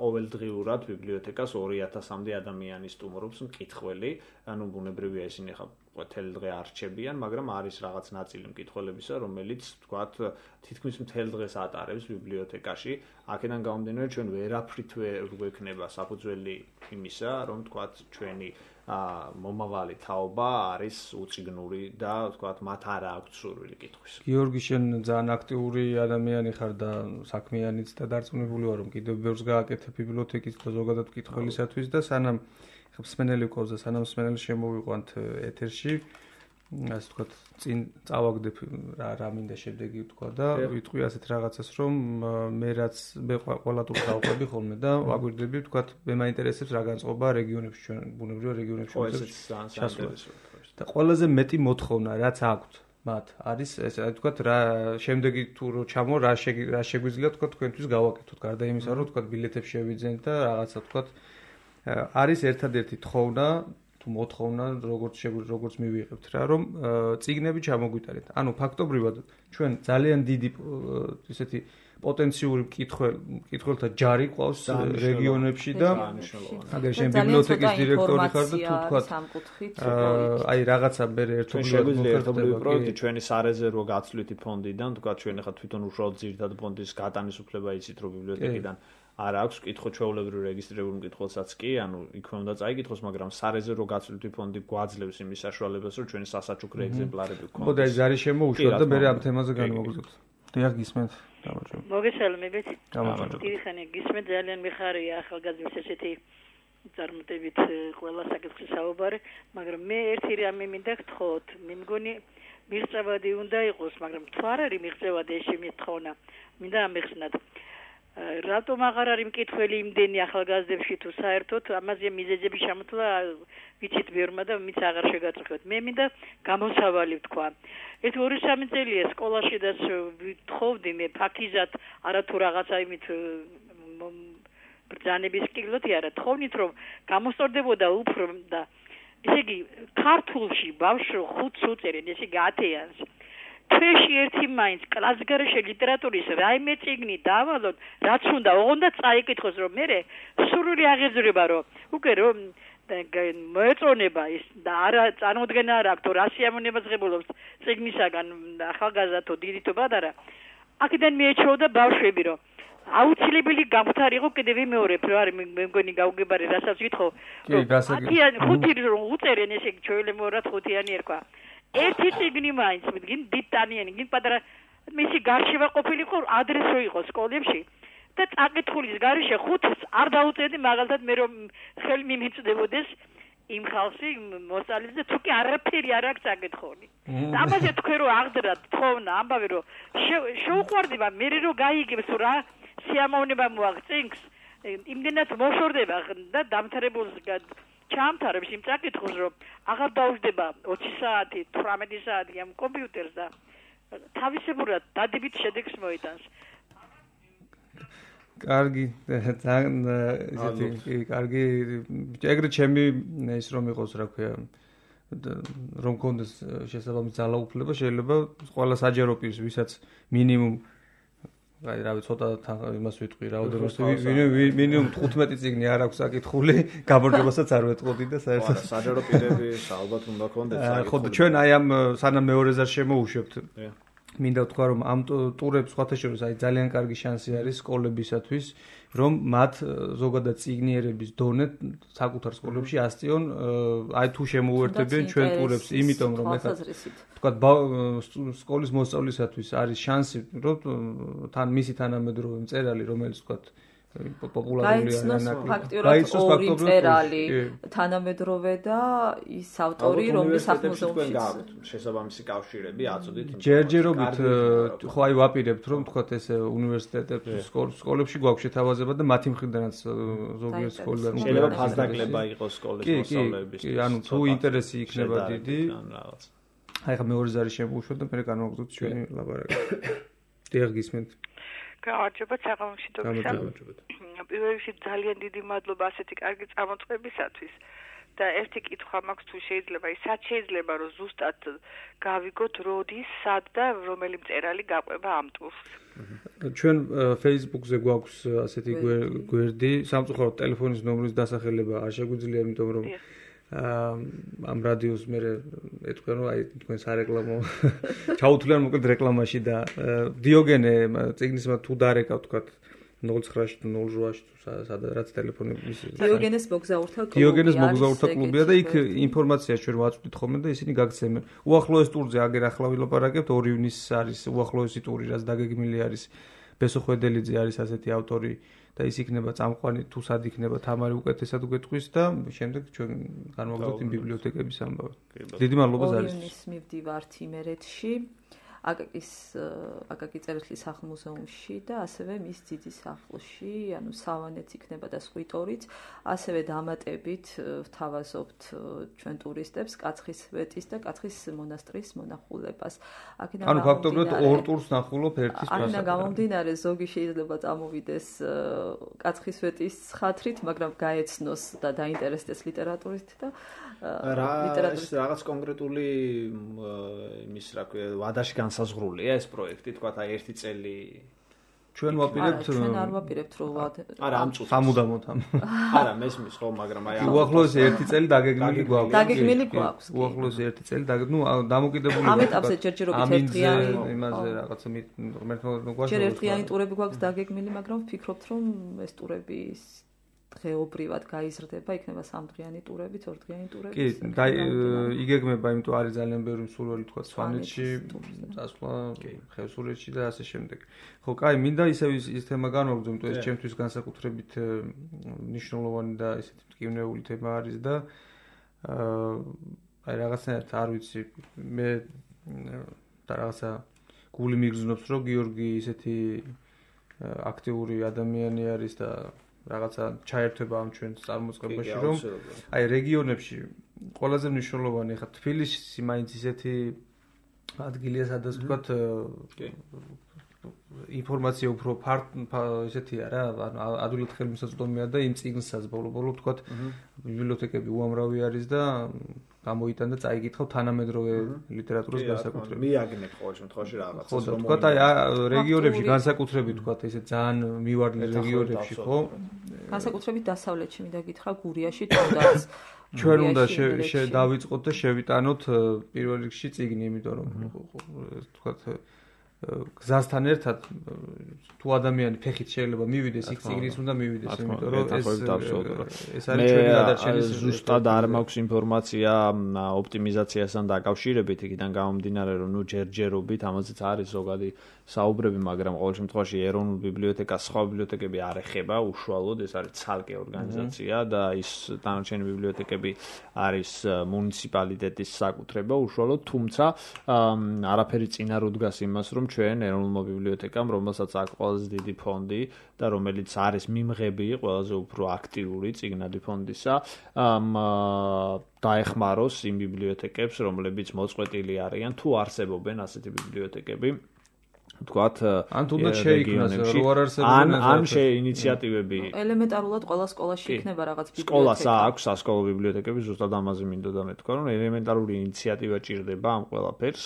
ყოველდღიურად ბიბლიოთეკას 2000-მდე ადამიანი სტუმრობს მკითხველი, ანუ ბუნებრივია ისინი ხა მთელი დღე არ რჩებიან, მაგრამ არის რაღაც ნაწილი მკითხველებისა, რომელიც თქვათ თითქმის მთელ დღეს ატარებს ბიბლიოთეკაში. აქედან გამომდინარე, ჩვენ ვერაფრით ვერ გვექნება საფუძველი იმისა, რომ თქვათ ჩვენი მომავალი თაობა არის უწიგნური და თქვათ მათ არ აქვს სურვილი კითხვის. გიორგი, შენ ძალიან აქტიური ადამიანი ხარ და საქმიანიც და დარწმუნებული ვარ, რომ კიდევ ბევრს გააკეთებ ბიბლიოთეკის და ზოგადად მკითხველისათვის და სანამ მსმენელი გვყავს და სანამ მსმენელი შემოვიყვანთ ეთერში, ასე ვთქვათ, წინ წავაგდებ რა მინდა შემდეგი ვთქვა და ვიტყვი ასეთ რაღაცას, რომ მე ყველა ტურს დავყვები ხოლმე და ვაგვირდები, ვთქვათ, მე მაინტერესებს რა განწყობა რეგიონებში, ჩვენ ბუნებრივია რეგიონებში და ყველაზე მეტი მოთხოვნა, რაც აქვთ მათ, არის ესე ვთქვათ, რა შემდეგი თუ რო ჩამო, რა შეგვიძლია ვთქვათ თქვენთვის გავაკეთოთ, გარდა იმისა, რომ ვთქვათ, ბილეთებს შევიძენთ და რაღაცა ვთქვათ, არის ერთადერთი თხოვნა თუ მოთხოვნა, როგორც მივიღებთ რა, რომ წიგნები ჩამოგვიტარეთ. ანუ ფაქტობრივად ჩვენ ძალიან დიდი ესეთი პოტენციური მკითხველთა ჯარი ყავს რეგიონებში და აგერ შენ ბიბლიოთეკის დირექტორი ხარ და თუ თქვა აი რაღაცა მე ერთობლივი პროექტი ჩვენი სარეზერვო გაცვლითი ფონდიდან, თქვა ჩვენ ახლა თვითონ უშუალოდ ძირითადად ფონდის გატანისუფლება იცით რომ ბიბლიოთეკიდან არ აქვს კითხვა ჩვეულებრივ რეგისტრირებულ მკითხველსაც კი, ანუ იქვე უნდა წაიკითხოს, მაგრამ სარეზერვო გაცვლითი ფონდი გვაძლევს იმის საშუალებას, რომ ჩვენი სასაჩუქრე ეგზემპლარები გქონდეს. ხო და ეს არის შემოუშვათ და მე ამ თემაზე განმოგვიწყოთ. დიახ, გისმენთ. მოგესალმებით. დიდი ხანი გისმენთ, ძალიან მიხარია ახალგაზრდების ესეთი წარმატებით ყველა საკითხი საუბარი, მაგრამ მე ერთი რამე მინდა გთხოვოთ, მე მგონი მიღწევადი უნდა იყოს, მაგრამ თუ არ არის მიღწევადი ეს შემთხვევა, მინდა ამეხსნათ. რატომ აღარ არის მკითხველი იმდენი ახალგაზრდებში თუ საერთოდ ამაზე მიზეზები შემოთვლა ვიცით ბევრმა და მის აღარ შეგაწყვეტ. მე მინდა გამოსავალი ვთქვა. ეს 2-3 წელია სკოლაში და ვთხოვდი მე ფაქიზად არათუ რაღაცა იმით ბრძანების კილოთი არა თხოვნით რომ გამოსწორდებოდა უფრო და ესე იგი ქართულში ბავშვი 5 უწერენ ესე იგი 10-იანს თვეში ერთი მაინც კლასგარეშე ლიტერატურის რაიმე წიგნი დავალოთ, რაც უნდა, ოღონდ წაიკითხოს, რომ მე სრული აღეზრება, რომ უკვე რომ მოეწონება ის და არა წარმოდგენა არ აქვს, რა სიამოვნებას ღებულობს წიგნისაგან ახალგაზრდათო დიდითო პატარა. აქედან მიეჩვეოდა ბავშვები, რომ აუცილებელი გამختار იყო კიდევ მეორებ, რომ არის მე მგონი გავგებარი, რასაც ვითხოვ. 5 რომ უწერენ ესე ჩვეულებრივად 5-იანი ერქვა. ერთი წიგნი მაინც მდგინ დიდტანიანი, გინ პატარა მისი გარშევა ყოფილიყო ადრესო იყო სკოლებში და წაკითხulis გარეშე 5-ს არ დაუწერდი მაგალითად მე რომ ხელი მიმეწდებოდეს იმ ხალხში მოსწავლეზე თუ კი არაფერი არ აქვს წაკითხული. და ამაზე თქვენ რომ აღდრათ თხოვნა ამბავი რომ შეუყვარდება მე რომ გაიგებს რა სიამოვნება მოაღწინს იმდენად მოშორდება და დამთავრებულს ჩამთავრებს იმ წაკითხულს რომ აღარ დაუждდება 20 საათი 18 საათი ამ კომპიუტერს და თავისებურად დადებით შედეგს მოიტანს. კარგი, ძალიან ისეთი კარგი ეგრე ჩემი ის რომ იყოს რა ქვია რომ კონდეს შესაძლებელი ძალაუფლება შეიძლება ყველა საჯარო პირს ვისაც მინიმუმ აი რა ვიცი ცოტა იმას ვიტყვი რაოდენობას მინიმუმ 15 წიგნი არ აქვს საკითხული გამარჯვებასაც არ ვეტყოდი და საერთოდ საჯარო პირები ალბათ უნდა კონდეს ხო და ჩვენ აი ამ სანამ მეორეზარ შემოუშვებთ მინდა ვთქვა რომ ამ ტურებს სხვათა შორის აი ძალიან კარგი შანსი არის სკოლებისათვის რომ მათ ზოგადად წიგნიერების დონე საკუთარ სკოლებში ასწიონ აი თუ შემოუერთებიან ჩვენ ტურებს იმიტომ რომ ეხლა თქვა სკოლის მოსწავლისათვის არის შანსი რომ თან მისი თანამედროვე მწერალი რომელიც თქვა პოპულარულია ფაქტიურად ორი მწერალი თანამედროვე და ის ავტორი რომლის სახელმწიფოში შესაბამისი კავშირები აწოდით ჯერჯერობით ხო აი ვაპირებთ რომ თქვა ეს უნივერსიტეტებში სკოლებში გვაქვს შეთავაზება და მათი მხრიდანაც ზოგიერთ სკოლიდან შეიძლება ფასდაკლება იყოს სკოლის მოსწავლეების კი ანუ თუ ინტერესი იქნება დიდი აი ხა მეორე ზარი შემოუშვა და მე განვაგრძოთ ჩვენი ლაბორატორია დიახ გისმენთ გამარჯობა საღამოშიდობისა. პირველ რიგში ძალიან დიდი მადლობა ასეთი კარგი წარმოწყობისათვის და ერთი კითხვა მაქვს თუ შეიძლება ისაც შეიძლება რომ ზუსტად გავიგოთ როდის სად და რომელი მწერალი გაყვება ამ ტურს. ჩვენ Facebook-ზე გვაქვს ასეთი გვერდი, სამწუხაროდ ტელეფონის ნომრის დასახელება არ შეგვიძლია, იმიტომ რომ ამ რადიოს მე ეთქვენ რომ აი თქვენ სარეკლამო ჩაუთვლიან მოკლედ რეკლამაში და დიოგენე წიგნისმა თუ დარეკავ თქვა 09-ში თუ 08-ში თუ სადაც ტელეფონი დიოგენეს მოგზაურთა კლუბია და იქ ინფორმაცია ჩვენ ვაწვდით ხოლმე და ისინი გაგცემენ. უახლოეს ტურზე აგერ ახლა ვილაპარაკებთ 2 ივნისს არის უახლოესი ტური რაც დაგეგმილი არის ბესო ხვედელიძე არის ასეთი ავტორი და ის იქნება წამყვანი თუ სად იქნება თამარი უკეთესად გვეტყვის და შემდეგ ჩვენ განვაგრძობთ იმ ბიბლიოთეკების ამბავი. დიდი მადლობა ზარის. ივნისს მივდივართ იმერეთში, აკაკი წერეთლის სახლ-მუზეუმში და ასევე მის ძიძის სახლში, ანუ სავანეც იქნება და სვიტორიც, ასევე დამატებით ვთავაზობთ ჩვენ ტურისტებს კაცხისვეტის და კაცხის მონასტრის მონახულებას. ანუ ფაქტობრივად ორ ტურს ნახულობ ერთის პრასა. აქედან გამომდინარე ზოგი შეიძლება წამოვიდეს კაცხისვეტის ხათრით, მაგრამ გაეცნოს და დაინტერესდეს ლიტერატურით და რაღაც კონკრეტული იმის რა ქვია ვადაში განსაზღვრულია ეს პროექტი, თქვა აი ერთი წელი ჩვენ ვაპირებთ ჩვენ არ ვაპირებთ რომ არა ამ წუთს სამუდამოდ არა მესმის ხო მაგრამ აი უახლოესი ერთი წელი დაგეგმილი გვაქვს უახლოესი ერთი წელი დამოკიდებული ამ ეტაპზე ჯერჯერობით ერთიანი იმაზე რაღაცა ჯერ ერთიანი ტურები გვაქვს დაგეგმილი მაგრამ ვფიქრობთ რომ ეს ტურები დღეობრივად გაიზრდება, იქნება 3დღიანი ტურებით, 2დღიანი ტურებით. კი, იგეგმება, იმიტომ არის ძალიან ბევრი მსურველი თქვა სვანეთში, წასვლა ხევსურეთში და ასე შემდეგ. ხო, კაი, მინდა ისევ ის თემა განვაგრძო, იმიტომ ეს ჩემთვის განსაკუთრებით მნიშვნელოვანი და ესეთი მტკივნეული თემა არის და აი რაღაცნაირად არ ვიცი, მე და რაღაცა გული მიგრძნობს, რომ გიორგი ისეთი აქტიური ადამიანი არის და რაღაცა ჩაერთვება ამ ჩვენს წარმოწყებაში რომ აი რეგიონებში ყველაზე მნიშვნელოვანი ხა თბილისი მაინც ისეთი ადგილია სადაც ვთქვათ ინფორმაცია უფრო ესეთია რა ადვილად ხელმისაწვდომია და იმ წიგნსაც ბოლო-ბოლო ვთქვათ ბიბლიოთეკები უამრავი არის და გამოიტან და წაიკითხავ თანამედროვე ლიტერატურის განსაკუთრებით. მიაგნებ ყოველ შემთხვევაში რაღაცას რომ ვთქვათ აი რეგიონებში განსაკუთრებით ვთქვათ ესე ძალიან მივარდნილ რეგიონებში ხო? განსაკუთრებით დასავლეთში მინდა გითხრა გურიაში თუნდაც ჩვენ უნდა დავიწყოთ და შევიტანოთ პირველ რიგში წიგნი, იმიტომ რომ ვთქვათ გზასთან ერთად თუ ადამიანი ფეხით შეიძლება მივიდეს იქ წიგნის უნდა მივიდეს, იმიტომ რომ ეს არის ჩვენი გადარჩენის ზუსტად არ მაქვს ინფორმაცია ოპტიმიზაციასთან დაკავშირებით, იქიდან გამომდინარე რომ ნუ ჯერჯერობით ამაზეც არის ზოგადი საუბრები, მაგრამ ყოველ შემთხვევაში ეროვნულ ბიბლიოთეკას სხვა ბიბლიოთეკები არ ეხება უშუალოდ, ეს არის ცალკე ორგანიზაცია და ის დანარჩენი ბიბლიოთეკები არის მუნიციპალიტეტის საკუთრება უშუალოდ, თუმცა არაფერი წინ არ უდგას იმას, რომ ჩვენ ეროვნულმა ბიბლიოთეკამ, რომელსაც აქვს ყველაზე დიდი ფონდი და რომელიც არის მიმღები ყველაზე უფრო აქტიური წიგნადი ფონდისა, დაეხმაროს იმ ბიბლიოთეკებს, რომლებიც მოწყვეტილი არიან, თუ არსებობენ ასეთი ბიბლიოთეკები. ვთქვათ, ან თუნდაც შეიქმნას რო არ არსებობენ ან ინიციატივები ელემენტარულად ყველა სკოლაში იქნება რაღაც ბიბლიოთეკა. სკოლას აქვს სასკოლო ბიბლიოთეკები, ზუსტად ამაზე მინდოდა მეთქვა, რომ ელემენტარული ინიციატივა ჭირდება ამ ყველაფერს,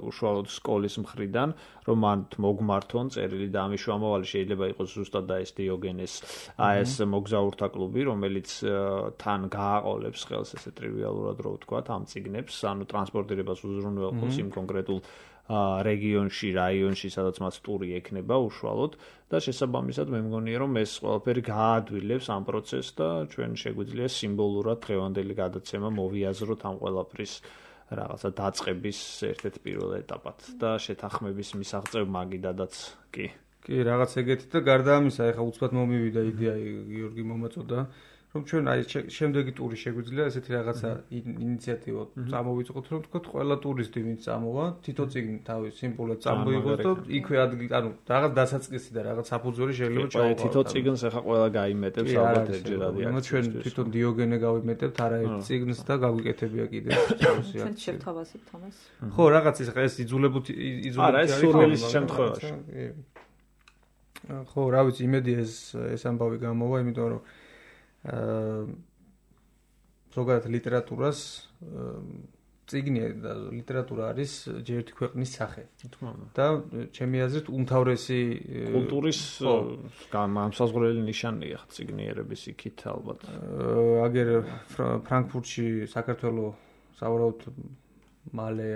უშუალოდ სკოლის მხრიდან, რომ მანდ მოგმართონ წერილი და ამის შუამავალი შეიძლება იყოს ზუსტად და ეს დიოგენეს ეს მოგზაურთა კლუბი, რომელიც თან გააყოლებს ხელს ესე ტრივიალურად რო ვთქვათ ამ წიგნებს, ანუ ტრანსპორტირებას უზრუნველყოფს იმ კონკრეტულ რეგიონში, რაიონში, სადაც მას ტური ექნება უშუალოდ და შესაბამისად მე მგონია რომ ეს ყველაფერი გაადვილებს ამ პროცესს და ჩვენ შეგვიძლია სიმბოლურად დღევანდელი გადაცემა მოვიაზროთ ამ ყველაფრის რაღაცა დაწყების ერთ-ერთ პირველ ეტაპად და შეთანხმების მისაღწევ მაგიდადაც კი რაღაც ეგეთი და გარდა ამისა ეხლა უცბად მომივიდა იდეა გიორგი მომაწოდა რომ ჩვენ აი შემდეგი ტური შეგვიძლია ესეთი რაღაცა ინიციატივა წამოვიწყოთ რომ თქვა ყველა ტურისტი ვინც წამოვა თითო წიგნი თავის სიმბოლოდ წამოიღოს და იქვე ანუ რაღაც დასაწყისი და რაღაც საფუძველი შეიძლება ჩაუყაროთ თითო წიგნს ეხლა ყველა გაიმეტებს ალბათ ერთჯერადი აქ ჩვენ თვითონ დიოგენე გავიმეტებთ არაერთ წიგნს და გაგვიკეთებია კიდევ ჩვენ შევთავაზებთ ამას ხო რაღაც ეს იძულებითი არა ეს სურვილის შემთხვევაში ხო რა ვიცი იმედი ეს ამბავი გამოვა იმიტომ რომ ზოგადად ლიტერატურას წიგნი და ლიტერატურა არის ჯერ ერთი ქვეყნის სახე. და ჩემი აზრით უმთავრესი კულტურის განმსაზღვრელი ნიშანია წიგნიერების იქით ალბათ. აგერ ფრანკფურტში საქართველოს სავარაუდოდ მალე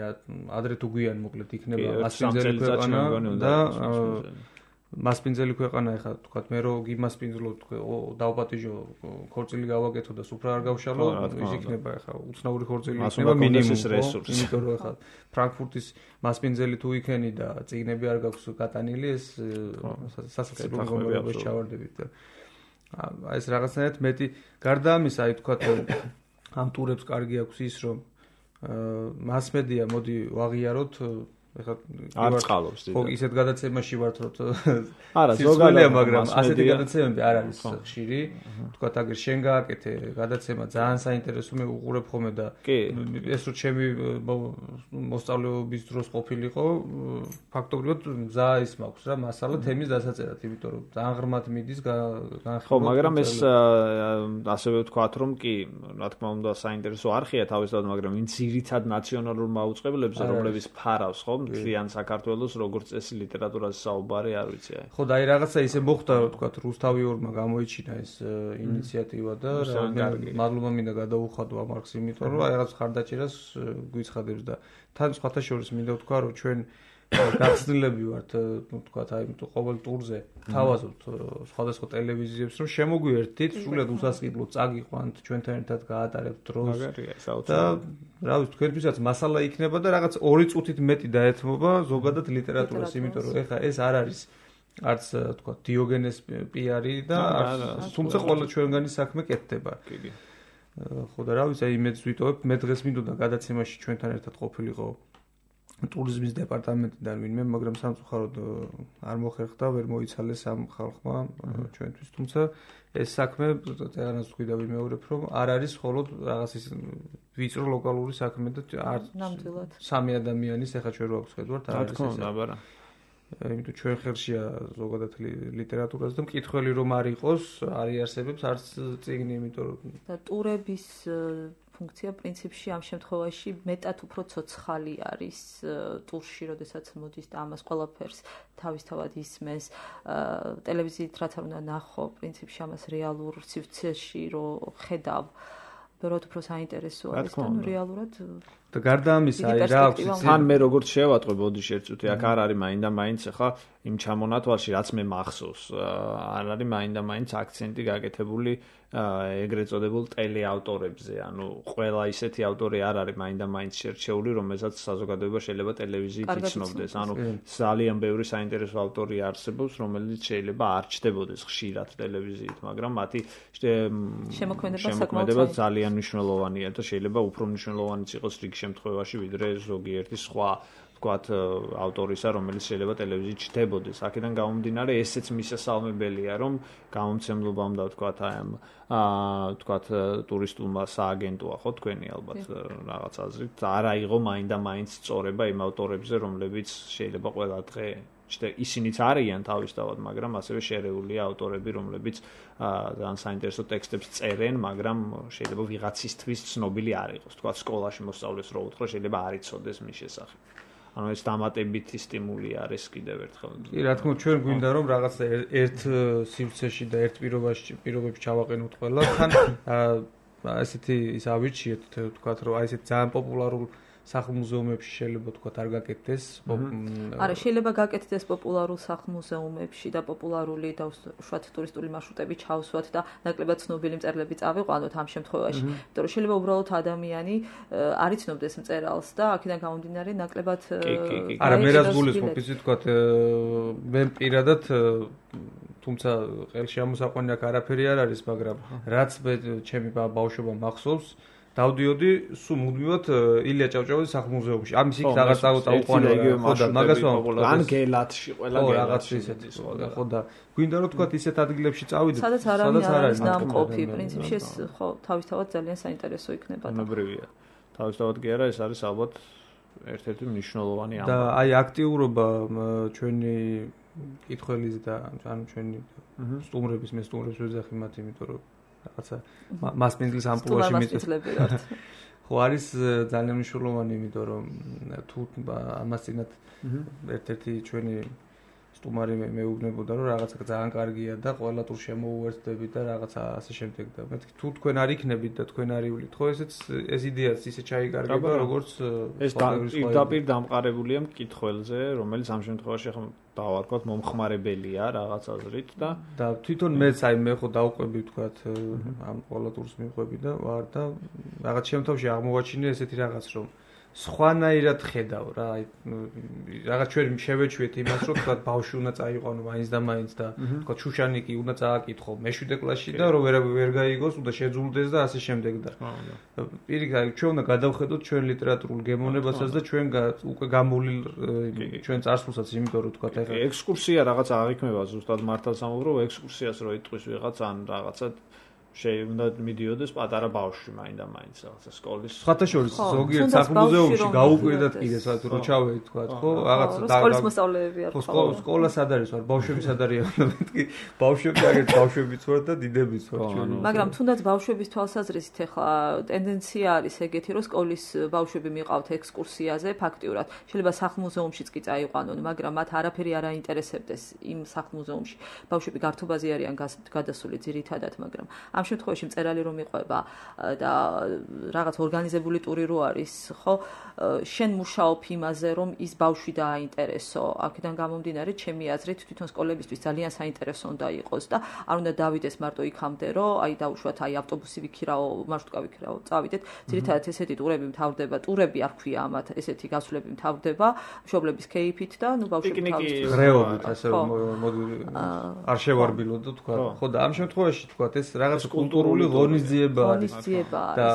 ადრე თუ გვიან მოკლედ იქნება მასპინძელი ქვეყანა და მასპინძელი ქვეყანა ეხლა თქვათ მე რო გიმასპინძლო დავპატიჟო ქორწილი გავაკეთო და სუფრა არ გავშალო ის იქნება ეხლა უცნაური ქორწილი იქნება მინიმუმ რესურსი იმიტომ რომ ეხლა ფრანკფურტის მასპინძელი თუ იქენი და წიგნები არ გაქვს გატანილი ეს სასაცილო მდგომარეობაში ჩავარდებით და აი ეს რაღაცნაირად მეტი გარდა ამისა აი თქვათ ამ ტურებს კარგი აქვს ის რომ მასმედია მოდი ვაღიაროთ ეხლა არ წყალობს ხო ისეთ გადაცემაში ვართ რომ არა ზოგადად მაგრამ ასეთი გადაცემები არ არის ხშირი თქვათ აგერ შენ გააკეთე გადაცემა ძალიან საინტერესო მე უყურებ ხოლმე და ეს რო ჩემი მოსწავლეობის დროს ყოფილიყო ფაქტობრივად მზა ის მაქვს რა მასალა თემის დასაწერად იმიტომ რომ ძალიან ღრმად მიდის განხილვა ხო მაგრამ ეს ასევე ვთქვათ რომ კი რა თქმა უნდა საინტერესო არხია თავისთავად მაგრამ ვინც ძირითად ნაციონალურ მაუწყებლებზე რომლებიც ფარავს ხო ძალიან საქართველოს როგორც წესი ლიტერატურაზე საუბარი არ ვიცი აი. ხო და აი რაღაცა ისე მოხდა რომ თქვა რუსთავიორმა გამოიჩინა ეს ინიციატივა და მადლობა მინდა გადაუხადო ამ არხს იმიტომ რომ აი რაღაც ხარდაჭერას გვიცხადებს და თან სხვათა შორის მინდა ვთქვა რომ ჩვენ გახსნილები ვართ თქვა აი ყოველ ტურზე თავაზობთ სხვადასხვა ტელევიზიებს რომ შემოგვიერთით სულად უსასყიდლო წაგიყვანთ ჩვენთან ერთად გაატარებთ დროს და რა ვიცი თქვენთვისაც მასალა იქნება და რაღაც 2 წუთით მეტი დაეთმობა ზოგადად ლიტერატურას იმიტომ რომ ეხა ეს არ არის არც თქვა დიოგენეს პიარი და თუმცა ყველა ჩვენგანი საქმე კეთდება ხო და რა ვიცი აი მეც ვიტოვებ მე დღეს მინდოდა გადაცემაში ჩვენთან ერთად ყოფილიყო ტურიზმის დეპარტამენტიდან ვინმე, მაგრამ სამწუხაროდ არ მოხერხდა, ვერ მოიცალეს ამ ხალხმა ჩვენთვის, თუმცა ეს საქმე წერანას თქვი და ვიმეორებ, რომ არ არის მხოლოდ რაღაც ის ვიწრო ლოკალური საქმე და ნამდვილად. 3 ადამიანის ახლა ჩვენ რო აქვს ხედავთ, არ არის ეს. იმიტომ ჩვენ ხელშია ზოგადად ლიტერატურას და მკითხველი რომ არ იყოს, არ იარსებებს არც წიგნი, იმიტომ რომ და ტურების ფუნქცია პრინციპში ამ შემთხვევაში მეტად უფრო ცოცხალი არის ტურში, როდესაც მოდის და ამას ყველაფერს თავისთავად ისმეს ტელევიზიით რაც არ უნდა ნახო, პრინციპში ამას რეალურ სივრცეში რო ხედავ, ბევრად უფრო საინტერესო არის და რეალურად და გარდა ამისა აი რა აქვს თან მე როგორც შევატყვე ბოდიში ერთ წუთი აქ არ არის მაინდა მაინც ახლა იმ ჩამონათვალში რაც მე მახსოვს არ არის მაინდა მაინც აქცენტი გაკეთებული ეგრეთ წოდებულ ტელეავტორებზე ანუ ყველა ისეთი ავტორი არ არის მაინდა მაინც შერჩეული რომელსაც საზოგადოება შეიძლება ტელევიზიით იცნობდეს ანუ ძალიან ბევრი საინტერესო ავტორი არსებობს რომელიც შეიძლება არ ჩდებოდეს ხშირად ტელევიზიით მაგრამ მათი შემოქმედება ძალიან მნიშვნელოვანია და შეიძლება უფრო მნიშვნელოვანიც იყოს რიგ შემთხვევაში ვიდრე ზოგიერთი სხვა ვთქვათ ავტორისა რომელიც შეიძლება ტელევიზიით ჩდებოდეს აქედან გამომდინარე ესეც მისასალმებელია რომ გამომცემლობამ და ვთქვათ აი ამ ვთქვათ ტურისტულმა სააგენტოა ხო თქვენი ალბათ რაღაც აზრით არ აიღო მაინდა მაინც სწორება იმ ავტორებზე რომლებიც შეიძლება ყველა დღე ისინიც არიან თავისთავად მაგრამ ასევე შერეულია ავტორები რომლებიც ძალიან საინტერესო ტექსტებს წერენ მაგრამ შეიძლება ვიღაცისთვის ცნობილი არ იყოს თქვათ სკოლაში მოსწავლეს რო უთხრა შეიძლება არ იცოდეს მის შესახებ ანუ ეს დამატებითი სტიმული არის კიდევ ერთხელ. კი, რა თქმა უნდა, ჩვენ გვინდა რომ რაღაც ერთ სივრცეში და ერთ პირობებში ჩავაყენოთ ყველა. თან ესეთი ის ავირჩიეთ, თქვათ რომ აი ესეთ ძალიან პოპულარულ სახლ-მუზეუმებში შეიძლება თქვა არ გაკეთდეს. არა, შეიძლება გაკეთდეს პოპულარულ სახლ-მუზეუმებში და პოპულარული და უშუალოდ ტურისტული მარშრუტები ჩავსვათ და ნაკლებად ცნობილი მწერლები წავიყვანოთ ამ შემთხვევაში. იმიტომ რომ შეიძლება უბრალოდ ადამიანი არ იცნობდეს მწერალს და აქედან გამომდინარე ნაკლებად არა, მე რაც გულისხმობ, იცით თქვა მე პირადად თუმცა ყელში ამოსაყვანი აქ არაფერი არ არის, მაგრამ რაც მე ჩემი ბავშვობა მახსოვს, დავდიოდი სულ მუდმივად ილია ჭავჭავაძის სახლ-მუზეუმში. ამის იქ რაღაც წაუყვანე ხო და მაგას ვამბობ. ან გელათში, ყველა გელათში ისეთი ხო და გვინდა რომ თქვა ისეთ ადგილებში წავიდეთ, სადაც არ არის ნამყოფი, პრინციპში ეს ხო თავისთავად ძალიან საინტერესო იქნება. ნებრივია. თავისთავად კი არა, ეს არის ალბათ ერთ-ერთი მნიშვნელოვანი ამბავი. და აი აქტიურობა ჩვენი კითხველის და ანუ ჩვენი სტუმრების მე სტუმრებს ვეძახი მათ, იმიტომ რომ რაღაცა მასპინძლის ამპლუაში მიწვლებიათ. ხო არის ძალიან მნიშვნელოვანი, იმიტომ რომ თუ ამას წინათ ერთ-ერთი ჩვენი სტუმარი მეუბნებოდა რომ რაღაცა ძალიან კარგია და ყველა ტურ შემოუერთდებით და რაღაცა ასე შემდეგ და მე თუ თქვენ არ იქნებით და თქვენ არ ივლით ხო ეს იდეაც ისე ჩაიკარგება როგორც ეს პირდაპირ დამყარებულია მკითხველზე, რომელიც ამ შემთხვევაში ახლა დავარქვათ მომხმარებელია რაღაც აზრით და თვითონ მეც აი მე ხო დავყვები ვთქვათ ამ ყველა ტურს მივყვები და ვარ და რაღაც შემთხვევაში აღმოვაჩინე ესეთი რაღაც რომ სხვანაირად ხედავ რა აი რაღაც ჩვენ შევეჩვიეთ იმას რომ თქვა ბავშვი უნდა წაიყვანო მაინც და მაინც და თქვა შუშანიკი უნდა წააკითხო მე-7 კლასში და რომ ვერ გაიგოს უნდა შეძულდეს და ასე შემდეგ და პირიქით ჩვენ უნდა გადავხედოთ ჩვენ ლიტერატურულ გემოვნებასაც და ჩვენ უკვე გამოვლილ ჩვენ წარსულსაც იმიტომ რომ თქვა ეხლა ექსკურსია რაღაც აღიქმება ზუსტად მართალ სამუბრობ ექსკურსიას რო იტყვის ვიღაც ან რაღაცა შეიძლება მიდიოდეს პატარა ბავშვი მაინდა-მაინც რაღაცა სკოლის. სხვათა შორის ზოგიერთ სახლ-მუზეუმში გაუკვირდათ კიდე საერთოდ რო ჩავედით თქვა ხო რაღაცა სკოლის მოსწავლეები არ ხო სკოლა სად არის ვარ ბავშვები სად არიან მეთქი ბავშვები აგერ ბავშვებიც ვარ და დიდებიც ვარ ჩვენ. მაგრამ თუნდაც ბავშვების თვალსაზრისით ახლა ტენდენცია არის ეგეთი რომ სკოლის ბავშვები მიყავთ ექსკურსიაზე ფაქტიურად შეიძლება სახლ-მუზეუმშიც კი წაიყვანონ მაგრამ მათ არაფერი არ აინტერესებდეს იმ სახლ-მუზეუმში ბავშვები გართობაზე არიან გადასული ძირითადად მაგრამ ამ შემთხვევაში მწერალი რომ იყვება და რაღაც ორგანიზებული ტური რო არის, ხო, შენ მუშაობ იმაზე, რომ ის ბავშვი დააინტერესო. აქედან გამომდინარე, ჩემი აზრით, თვითონ სკოლებისთვის ძალიან საინტერესო უნდა იყოს და არ უნდა დავიდეს მარტო იქამდე, რომ აი დაუშვათ, აი ავტობუსი ვიქირაო, მარშრუტკა ვიქირაო, წავიდეთ. ძირითადად ესეთი ტურები მთავრდება, ტურები არ ქვია ამათ, ესეთი გასვლები მთავრდება მშობლების კეიფით და ნუ ბავშვები თავის ღრეობით, ასე რომ არ შევარბილო და თქვა, ხო და ამ შემთხვევაში თქვა ეს რაღაც კულტურული ღონისძიება არის და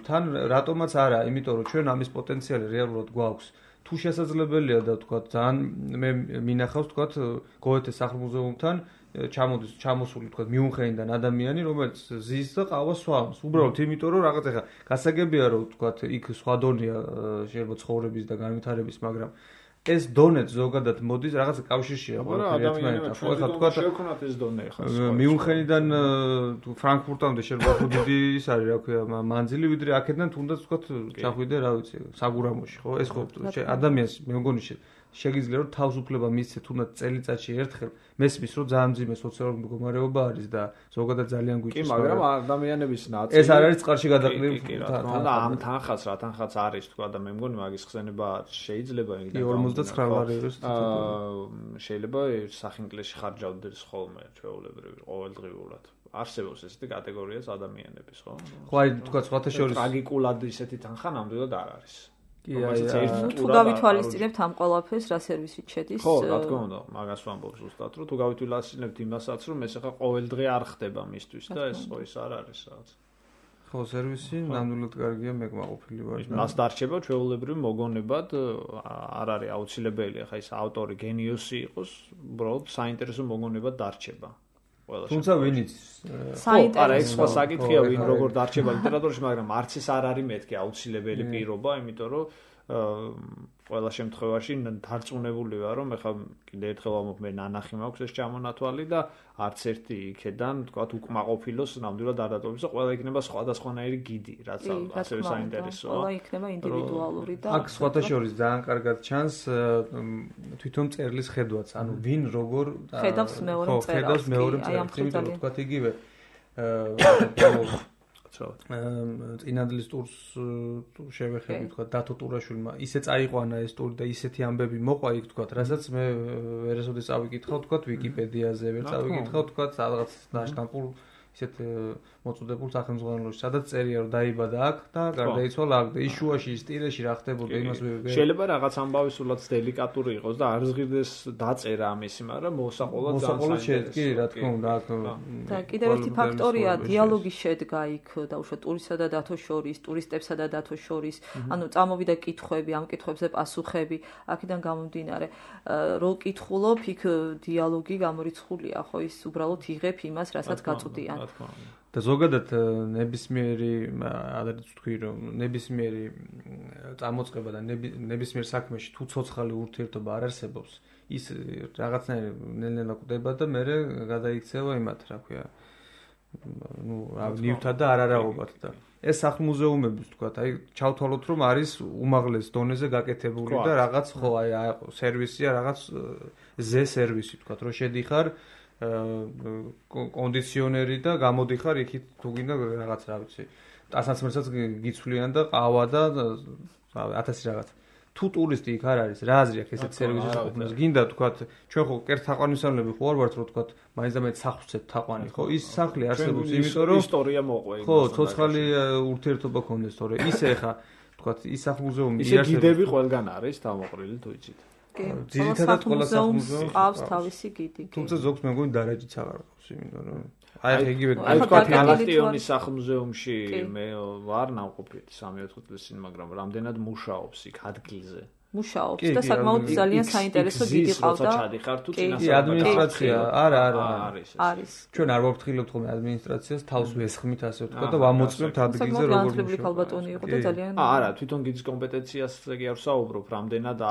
თან რატომაც არა, იმიტომ რომ ჩვენ ამის პოტენციალი რეალურად გვაქვს. თუ შესაძლებელია და თქვა ძალიან მე მინახავს თქვა გოეთეს სახლ-მუზეუმთან ჩამოსული თქვა მიუნხენიდან ადამიანი, რომელიც ზის და ყავას სვამს. უბრალოდ იმიტომ რომ რაღაც ეხა გასაგებია რომ თქვა იქ სხვა დონეა შეიძლება ცხოვრების და განვითარების, მაგრამ ეს დონეც ზოგადად მოდის რაღაც კავშირშია ყველაფერი ერთმანეთთან. ხო ეხლა თქვა შევქონათ ეს დონე ხა. მიუნხენიდან ფრანკფურტამდე შეიძლება უფრო დიდი ის არის რა ქვია მანძილი ვიდრე აქედან თუნდაც თქვა ჩახვიდე რა ვიცი საგურამოში ხო ეს ხო ადამიანს მე მგონი შეგიძლია რომ თავისუფლება მისცე თუნდაც წელიწადში ერთხელ მესმის რომ ძალიან მძიმე სოციალური მდგომარეობა არის და ზოგადად ძალიან გვიჭირს. კი, მაგრამ ადამიანების ნაწილი ეს არ არის წყარში გადაყრილი და ამ თანხაც რა თანხაც არის თქვა და მე მგონი მაგის ხსენება შეიძლება იგი 59 ლარი არის. შეიძლება სახინკლეში ხარჯავდეს ხოლმე ჩვეულებრივ ყოველდღიურად. არსებობს ესეთი კატეგორიას ადამიანების, ხო? ხო, აი თქვა სხვათა შორის ტრაგიკულად ისეთი თანხა ნამდვილად არ არის. თუ გავითვალისწინებთ ამ ყველაფერს რა სერვისით შედის? ხო, რა თქმა უნდა, მაგას ვამბობ ზუსტად, რომ თუ გავითვალისწინებთ იმასაც, რომ ეს ახლა ყოველდღე არ ხდება მისთვის და ეს ხო ის არ არის რაღაც. ხო, სერვისი ნამდვილად კარგია, მე კმაყოფილი ვარ. მას დარჩება ჩვეულებრივ მოგონებად არ არის აუცილებელი, ახლა ის ავტორი გენიოსი იყოს, უბრალოდ საინტერესო მოგონებად დარჩება. თუმცა ვინიც არა ეს სხვა საკითხია ვინ როგორ დარჩება ლიტერატურაში, მაგრამ არც ეს არ არის მეთქი აუცილებელი პირობა, იმიტომ რომ ყველა შემთხვევაში დარწმუნებული ვარ, რომ ეხლა კიდე ერთხელ ვამბობ, მე ნანახი მაქვს ეს ჩამონათვალი და არც ერთი იქედან, თქვათ, უკმაყოფილოს ნამდვილად არ დატოვებს და ყველა იქნება სხვადასხვანაირი გიდი, რაც ასევე საინტერესოა. ყველა იქნება ინდივიდუალური და აქ სხვათა შორის ძალიან კარგად ჩანს თვითონ წერლის ხედვაც, ანუ ვინ როგორ ხედავს მეორე მწერალს, თქვათ იგივე წინანდლის ტურს შევეხები თქვა დათო ტურაშვილმა ისე წაიყვანა ეს ტური და ისეთი ამბები მოყვა იქ თქვა რასაც მე ვერასოდეს წავიკითხავ თქვა ვიკიპედიაზე ვერ წავიკითხავ თქვა რაღაც დაშტამპულ ისეთ მოწოდებულ სახელმძღვანელოში სადაც წერია რომ დაიბადა აქ და გარდაიცვალა აქ და იშუაში სტილეში რა ხდებოდა იმას შეიძლება რაღაც ამბავი სულაც დელიკატური იყოს და არ ზღირდეს დაწერა ამისი მაგრამ მოსაყოლად განსაინტერესო კი რა თქმა უნდა და კიდევ ერთი ფაქტორია დიალოგი შედგა იქ და უშუალოდ ტურისა და დათოს შორის ტურისტებსა და დათოს შორის ანუ წამოვიდა კითხვები ამ კითხვებზე პასუხები აქედან გამომდინარე რო კითხულობ იქ დიალოგი გამორიცხულია ხო ის უბრალოდ იღებ იმას რასაც გაწვდიან და ზოგადად ნებისმიერი ადრეც ვთქვი რომ ნებისმიერი წამოწყება და ნებისმიერ საქმეში თუ ცოცხალი ურთიერთობა არ არსებობს ის რაღაცნაირად ნელ-ნელა კვდება და მე გადაიქცევა იმათ რა ქვია ნუ ნივთად და არარაღობად და ეს სახლ-მუზეუმების თქვა აი ჩავთვალოთ რომ არის უმაღლეს დონეზე გაკეთებული და რაღაც ხო აი სერვისია რაღაც ზე სერვისი თქვა რომ შედიხარ კონდიციონერი და გამოდიხარ იქით თუ გინდა რაღაც რა ვიცი ტანსაცმელსაც გიცვლიან და ყავა და 1000 რაღაც თუ ტურისტი იქ არ არის რა აზრი აქვს ესეთ სერვისის ყოფნას გინდა თქვა ჩვენ ხო კერძ თაყვანისმცემლები ხო არ ვართ რომ თქვა მაინც და მაინც სახლსეთ თაყვანი ხო ის სახლი არსებობს იმიტომ რომ ისტორია მოყვე ხო ცოცხალი ურთიერთობა ქონდეს თორე ისე ხა თქვა ის სახლ-მუზეუმი ისე გიდები ყველგან არის დამოყრილი თუ იცით ძირითადად ყველა სახლ-მუზეუმს ყავს თავისი გიდი თუმცა ზოგს მე მგონი დარაჯიც აღარ ყავს იმიტომ რომ აი იგივე თქვა გალაქტიონის სახლ-მუზეუმში მე ვარ ნავყოფიეთ 3-4 წლის წინ მაგრამ რამდენად მუშაობს იქ ადგილზე მუშაობს და საკმაოდ ძალიან საინტერესო გიდი ყავდა კი ადმინისტრაცია არა არის ჩვენ არ ვაფრთხილებთ ხოლმე ადმინისტრაციას თავს ვესხმით ასე ვთქვა და ვამოწმებთ ადგილზე როგორ მუშაობს ქალბატონი იყო და ძალიან არა თვითონ გიდის კომპეტენციაზე კი არ ვსაუბრობ რამდენად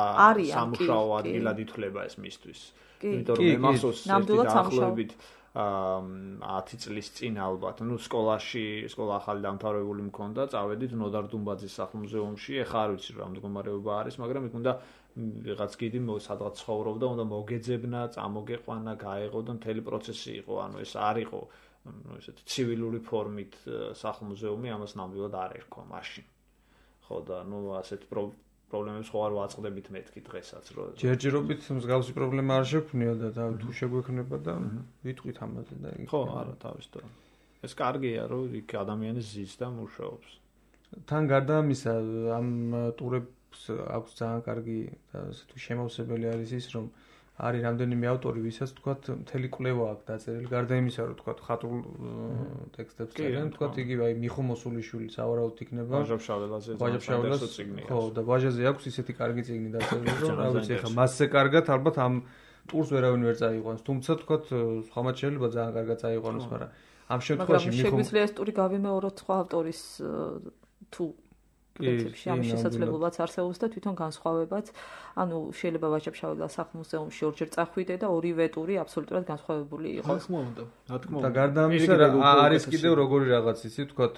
სამუშაო ადგილად ითვლება ეს მისთვის იმიტომ რომ მე მახსოვს დაახლოებით 10 წლის წინ ალბათ, ну სკოლა ახალი დამთავრებული მქონდა, წავედით ნოდარ დუმბაძის სახლ-მუზეუმში, ეხლა არ ვიცი რა მდგომარეობა არის, მაგრამ იქ უნდა რაღაც გიდი სადღაც ცხოვრობდა, უნდა მოგეძებნა, წამოგეყვანა, გაეღო და მთელი პროცესი იყო, ანუ ეს არ იყო, ესეთი ცივილური ფორმით სახლ-მუზეუმი, ამას ნამდვილად არ ერქვა მაშინ. ხო და ну ასეთ პრობლემებს ხო არ ვაწყდებით მეთქი დღესაც რომ ჯერჯერობით მსგავსი პრობლემა არ შეგვქნია და თუ შეგვექნება და ვიტყვით ამაზე და ხო არა თავისთავად ეს კარგია რომ იქ ადამიანი ზის და მუშაობს თან გარდა ამისა ამ ტურებს აქვს ძალიან კარგი და თუ შემავსებელი არის ის რომ არის რამდენიმე ავტორი ვისაც თქვათ მთელი კვლევა აქვს დაწერილი გარდა იმისა რომ თქვათ ხატრულ ტექსტებს წერენ თქვათ იგივე აი მიხო მოსულიშვილი სავარაუდოდ იქნება ვაჟა-ფშაველას წიგნი ხო და ვაჟაზე აქვს ისეთი კარგი წიგნი დაწერილი რომ რა ვიცი ახლა მასზე კარგად ალბათ ამ ტურს ვერავინ ვერ წაიყვანს თუმცა თქვათ სხვამაც შეიძლება ძალიან კარგად წაიყვანოს მაგრამ ამ შემთხვევაში მიხო შეგვიძლია ეს ტური გავიმეოროთ სხვა ავტორის თუ პრინციპში ამ შესაძლებლობაც არსებობს და თვითონ განსხვავებაც ანუ შეიძლება ვაჟა-ფშაველას სახლ-მუზეუმში ორჯერ წახვიდე და ორივე ტური აბსოლუტურად განსხვავებული იყოს. რა თქმა უნდა. და გარდა ამისა არის კიდევ როგორი რაღაც ისი ვთქვათ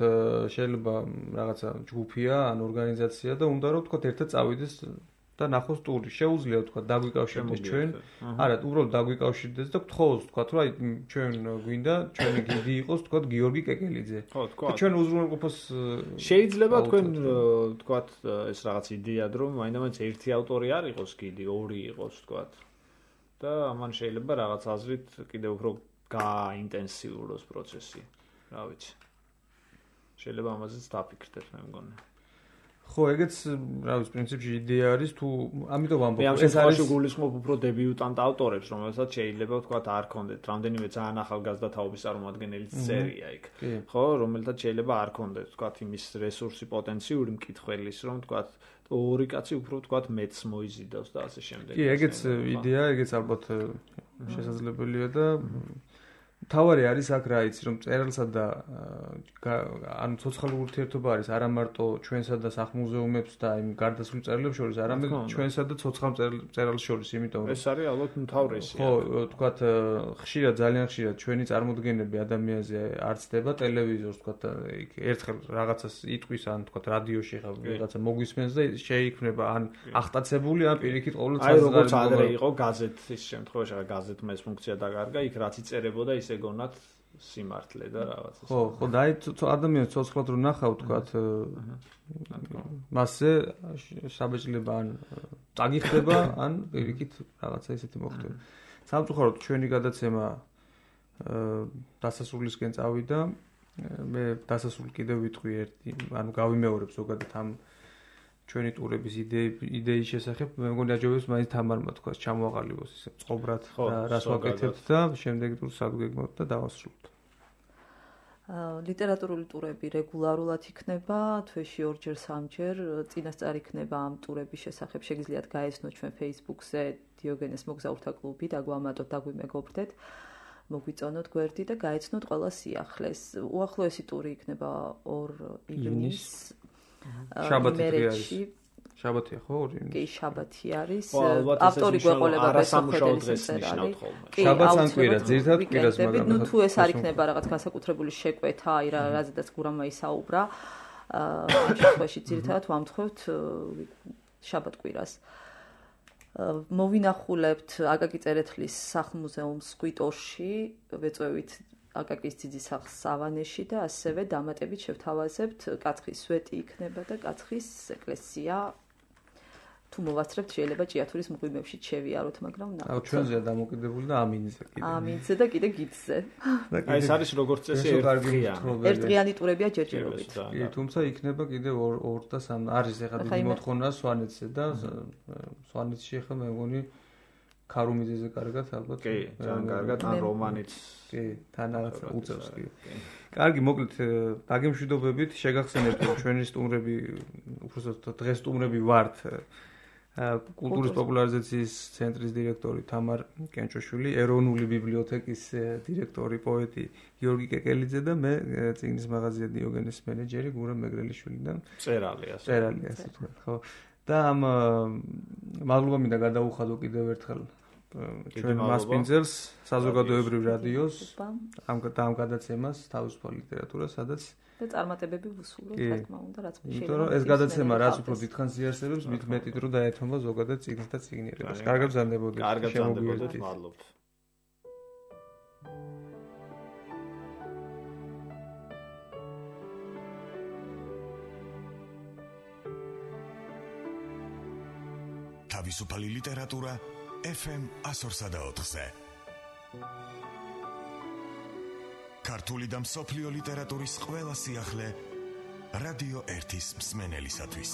შეიძლება რაღაცა ჯგუფია ან ორგანიზაცია და უნდა რომ ვთქვათ ერთად წავიდეს და ნახოს ტური. შეუძლია ვთქვათ დაგვიკავშირდეს ჩვენ. არა, უბრალოდ დაგვიკავშირდეს და გთხოვოს ვთქვათ რომ აი ჩვენ გვინდა ჩვენი გიდი იყოს ვთქვათ გიორგი კეკელიძე. და ჩვენ უზრუნველყოფას შეიძლება თქვენ ვთქვათ ეს რაღაც იდეად რომ მაინც ერთი ავტორი არ იყოს გიდი, ორი იყოს ვთქვათ. და ამან შეიძლება რაღაც აზრით კიდევ უფრო გააინტენსიუროს პროცესი. რა ვიცი. შეიძლება ამაზეც დაფიქრდეთ მე მგონი. ხო, ეგეც, რა ვიცი, პრინციპში იდეა არის თუ ამიტომ ვამბობ, ეს არის გულისხმობ უფრო დებიუტანტ ავტორებს, რომელსაც შეიძლება ვთქვათ არ ქონდეთ რამდენიმე ძალიან ახალგაზრდა თაობის წარმომადგენელი წერია იქ. ხო, რომელთაც შეიძლება არ ქონდეთ ვთქვათ იმის რესურსი პოტენციური მკითხველის, რომ ვთქვათ ორი კაცი უფრო ვთქვათ მეც მოიზიდავს და ასე შემდეგ. კი, ეგეც იდეა, ეგეც ალბათ შესაძლებელია და თავარი არის აქ რა იცი რომ წერილსა და ანუ ცოცხალი ურთიერთობა არის არა მარტო ჩვენსა და სახლ-მუზეუმებს და იმ გარდაცვლილ წერილებს შორის, არამედ ჩვენსა და ცოცხალ წერილს შორის, იმიტომ რომ ეს არის ალბათ მთავრესი. ხო, თქვათ ხშირად ძალიან ხშირად ჩვენი წარმოდგენები ადამიანზე არ ცდება ტელევიზორს, თქვათ იქ ერთხელ რაღაცას იტყვის ან თქვათ რადიოში ხა რაღაცა მოგვისმენს და შეიქმნება ან აღტაცებული ან პირიქით ყოველთვის აი როგორც ადრე იყო გაზეთის შემთხვევაში, გაზეთმა ეს ფუნქცია დაკარგა, იქ რაც იწერებოდა ისე გონათ სიმართლე და რაღაცა. ხო, და აი ადამიანს ცოცხლად რო ნახავ თქვათ მასზე საბეჭდილება ან წაგიხდება, ან პირიქით რაღაცა ისეთი მოხდება. სამწუხაროდ ჩვენი გადაცემა დასასრულისკენ წავიდა. მე დასასრულ კიდევ ვიტყვი ერთი, ანუ გავიმეორებ ზოგადად ამ ჩვენი ტურების იდეის შესახებ. მე მგონი აჯობებს მაინც თამარმა თქვას ჩამოაყალიბოს ისე წყობრად რას ვაკეთებთ და შემდეგი ტურს სადგეგმოთ და დავასრულოთ. ლიტერატურული ტურები რეგულარულად იქნება, თვეში 2-ჯერ 3-ჯერ, წინასწარ იქნება ამ ტურების შესახებ შეგიძლიათ გაეცნოთ ჩვენ Facebook-ზე დიოგენეს მოგზაურთა კლუბი და გვამატოთ და გვიმეგობრდეთ. მოგვიწონოთ გვერდი და გაეცნოთ ყველა სიახლეს. უახლოესი ტური იქნება 2 ივნის შაბათი შაბათია ხო 2 ივნის? კი, შაბათი არის. ავტორი გვეყოლება ბესოხელის წერალი. შაბათს ან კვირას, ძირითადად კვირას, მაგრამ ნუ თუ ეს არ იქნება რაღაც განსაკუთრებული შეკვეთა, აი რაზედაც გურამმა ისაუბრა, ამ შემთხვევაში ძირითადად ვამთხოვთ შაბათ კვირას. მოვინახულებთ აკაკი წერეთლის სახლ-მუზეუმს ხვიტოში, ვეწვევით აკაკის ძიძის სახლს სავანეში და ასევე დამატებით შევთავაზებთ კაცხის სვეტი იქნება და კაცხის ეკლესია. თუ მოვასწრებთ შეიძლება ჭიათურის მღვიმეებში შევიაროთ, მაგრამ აუ ჩვენზეა დამოკიდებული და ამინზე კიდე. ამინზე და კიდე გიდზე. აი ეს არის როგორც წესი ერთდღიანი ტურებია ჯერჯერობით. კი, თუმცა იქნება კიდე 2 და 3 არის ეხლა დიდი მოთხოვნა სვანეთზე და სვანეთში ეხლა მე მგონი ქარუმიძეზე კარგად ალბათ. კი, ძალიან კარგად ან რომანიც. კი, თან რაღაცა უწევს კი. კარგი, მოკლედ დაგემშვიდობებით, შეგახსენებთ რომ ჩვენი სტუმრები, უბრალოდ დღეს სტუმრები ვართ კულტურის პოპულარიზაციის ცენტრის დირექტორი თამარ კენჭოშვილი, ეროვნული ბიბლიოთეკის დირექტორი, პოეტი გიორგი კეკელიძე და მე წიგნის მაღაზია დიოგენეს მენეჯერი გურამ მეგრელიშვილი და წერალი ასე თქვა, ხო. და ამ მადლობა მინდა გადაუხადო კიდევ ერთხელ ჩვენ მასპინძელს, საზოგადოებრივ რადიოს, ამ გადაცემას თავისუფალ ლიტერატურას, სადაც და წარმატებები ვუსურვოთ, რა თქმა უნდა, რაც მე შეიძლება. იმიტომ რომ ეს გადაცემა რაც უფრო დიდხანს იარსებებს, მით მეტი დრო დაეთმობა ზოგადად წიგნს და წიგნიერებას. კარგად გრძანდებოდეთ. კარგად გრძანდებოდეთ, მადლობთ. თავისუფალი ლიტერატურა FM 104.4-ზე. ქართული და მსოფლიო ლიტერატურის ყველა სიახლე რადიო 1-ის მსმენელისათვის.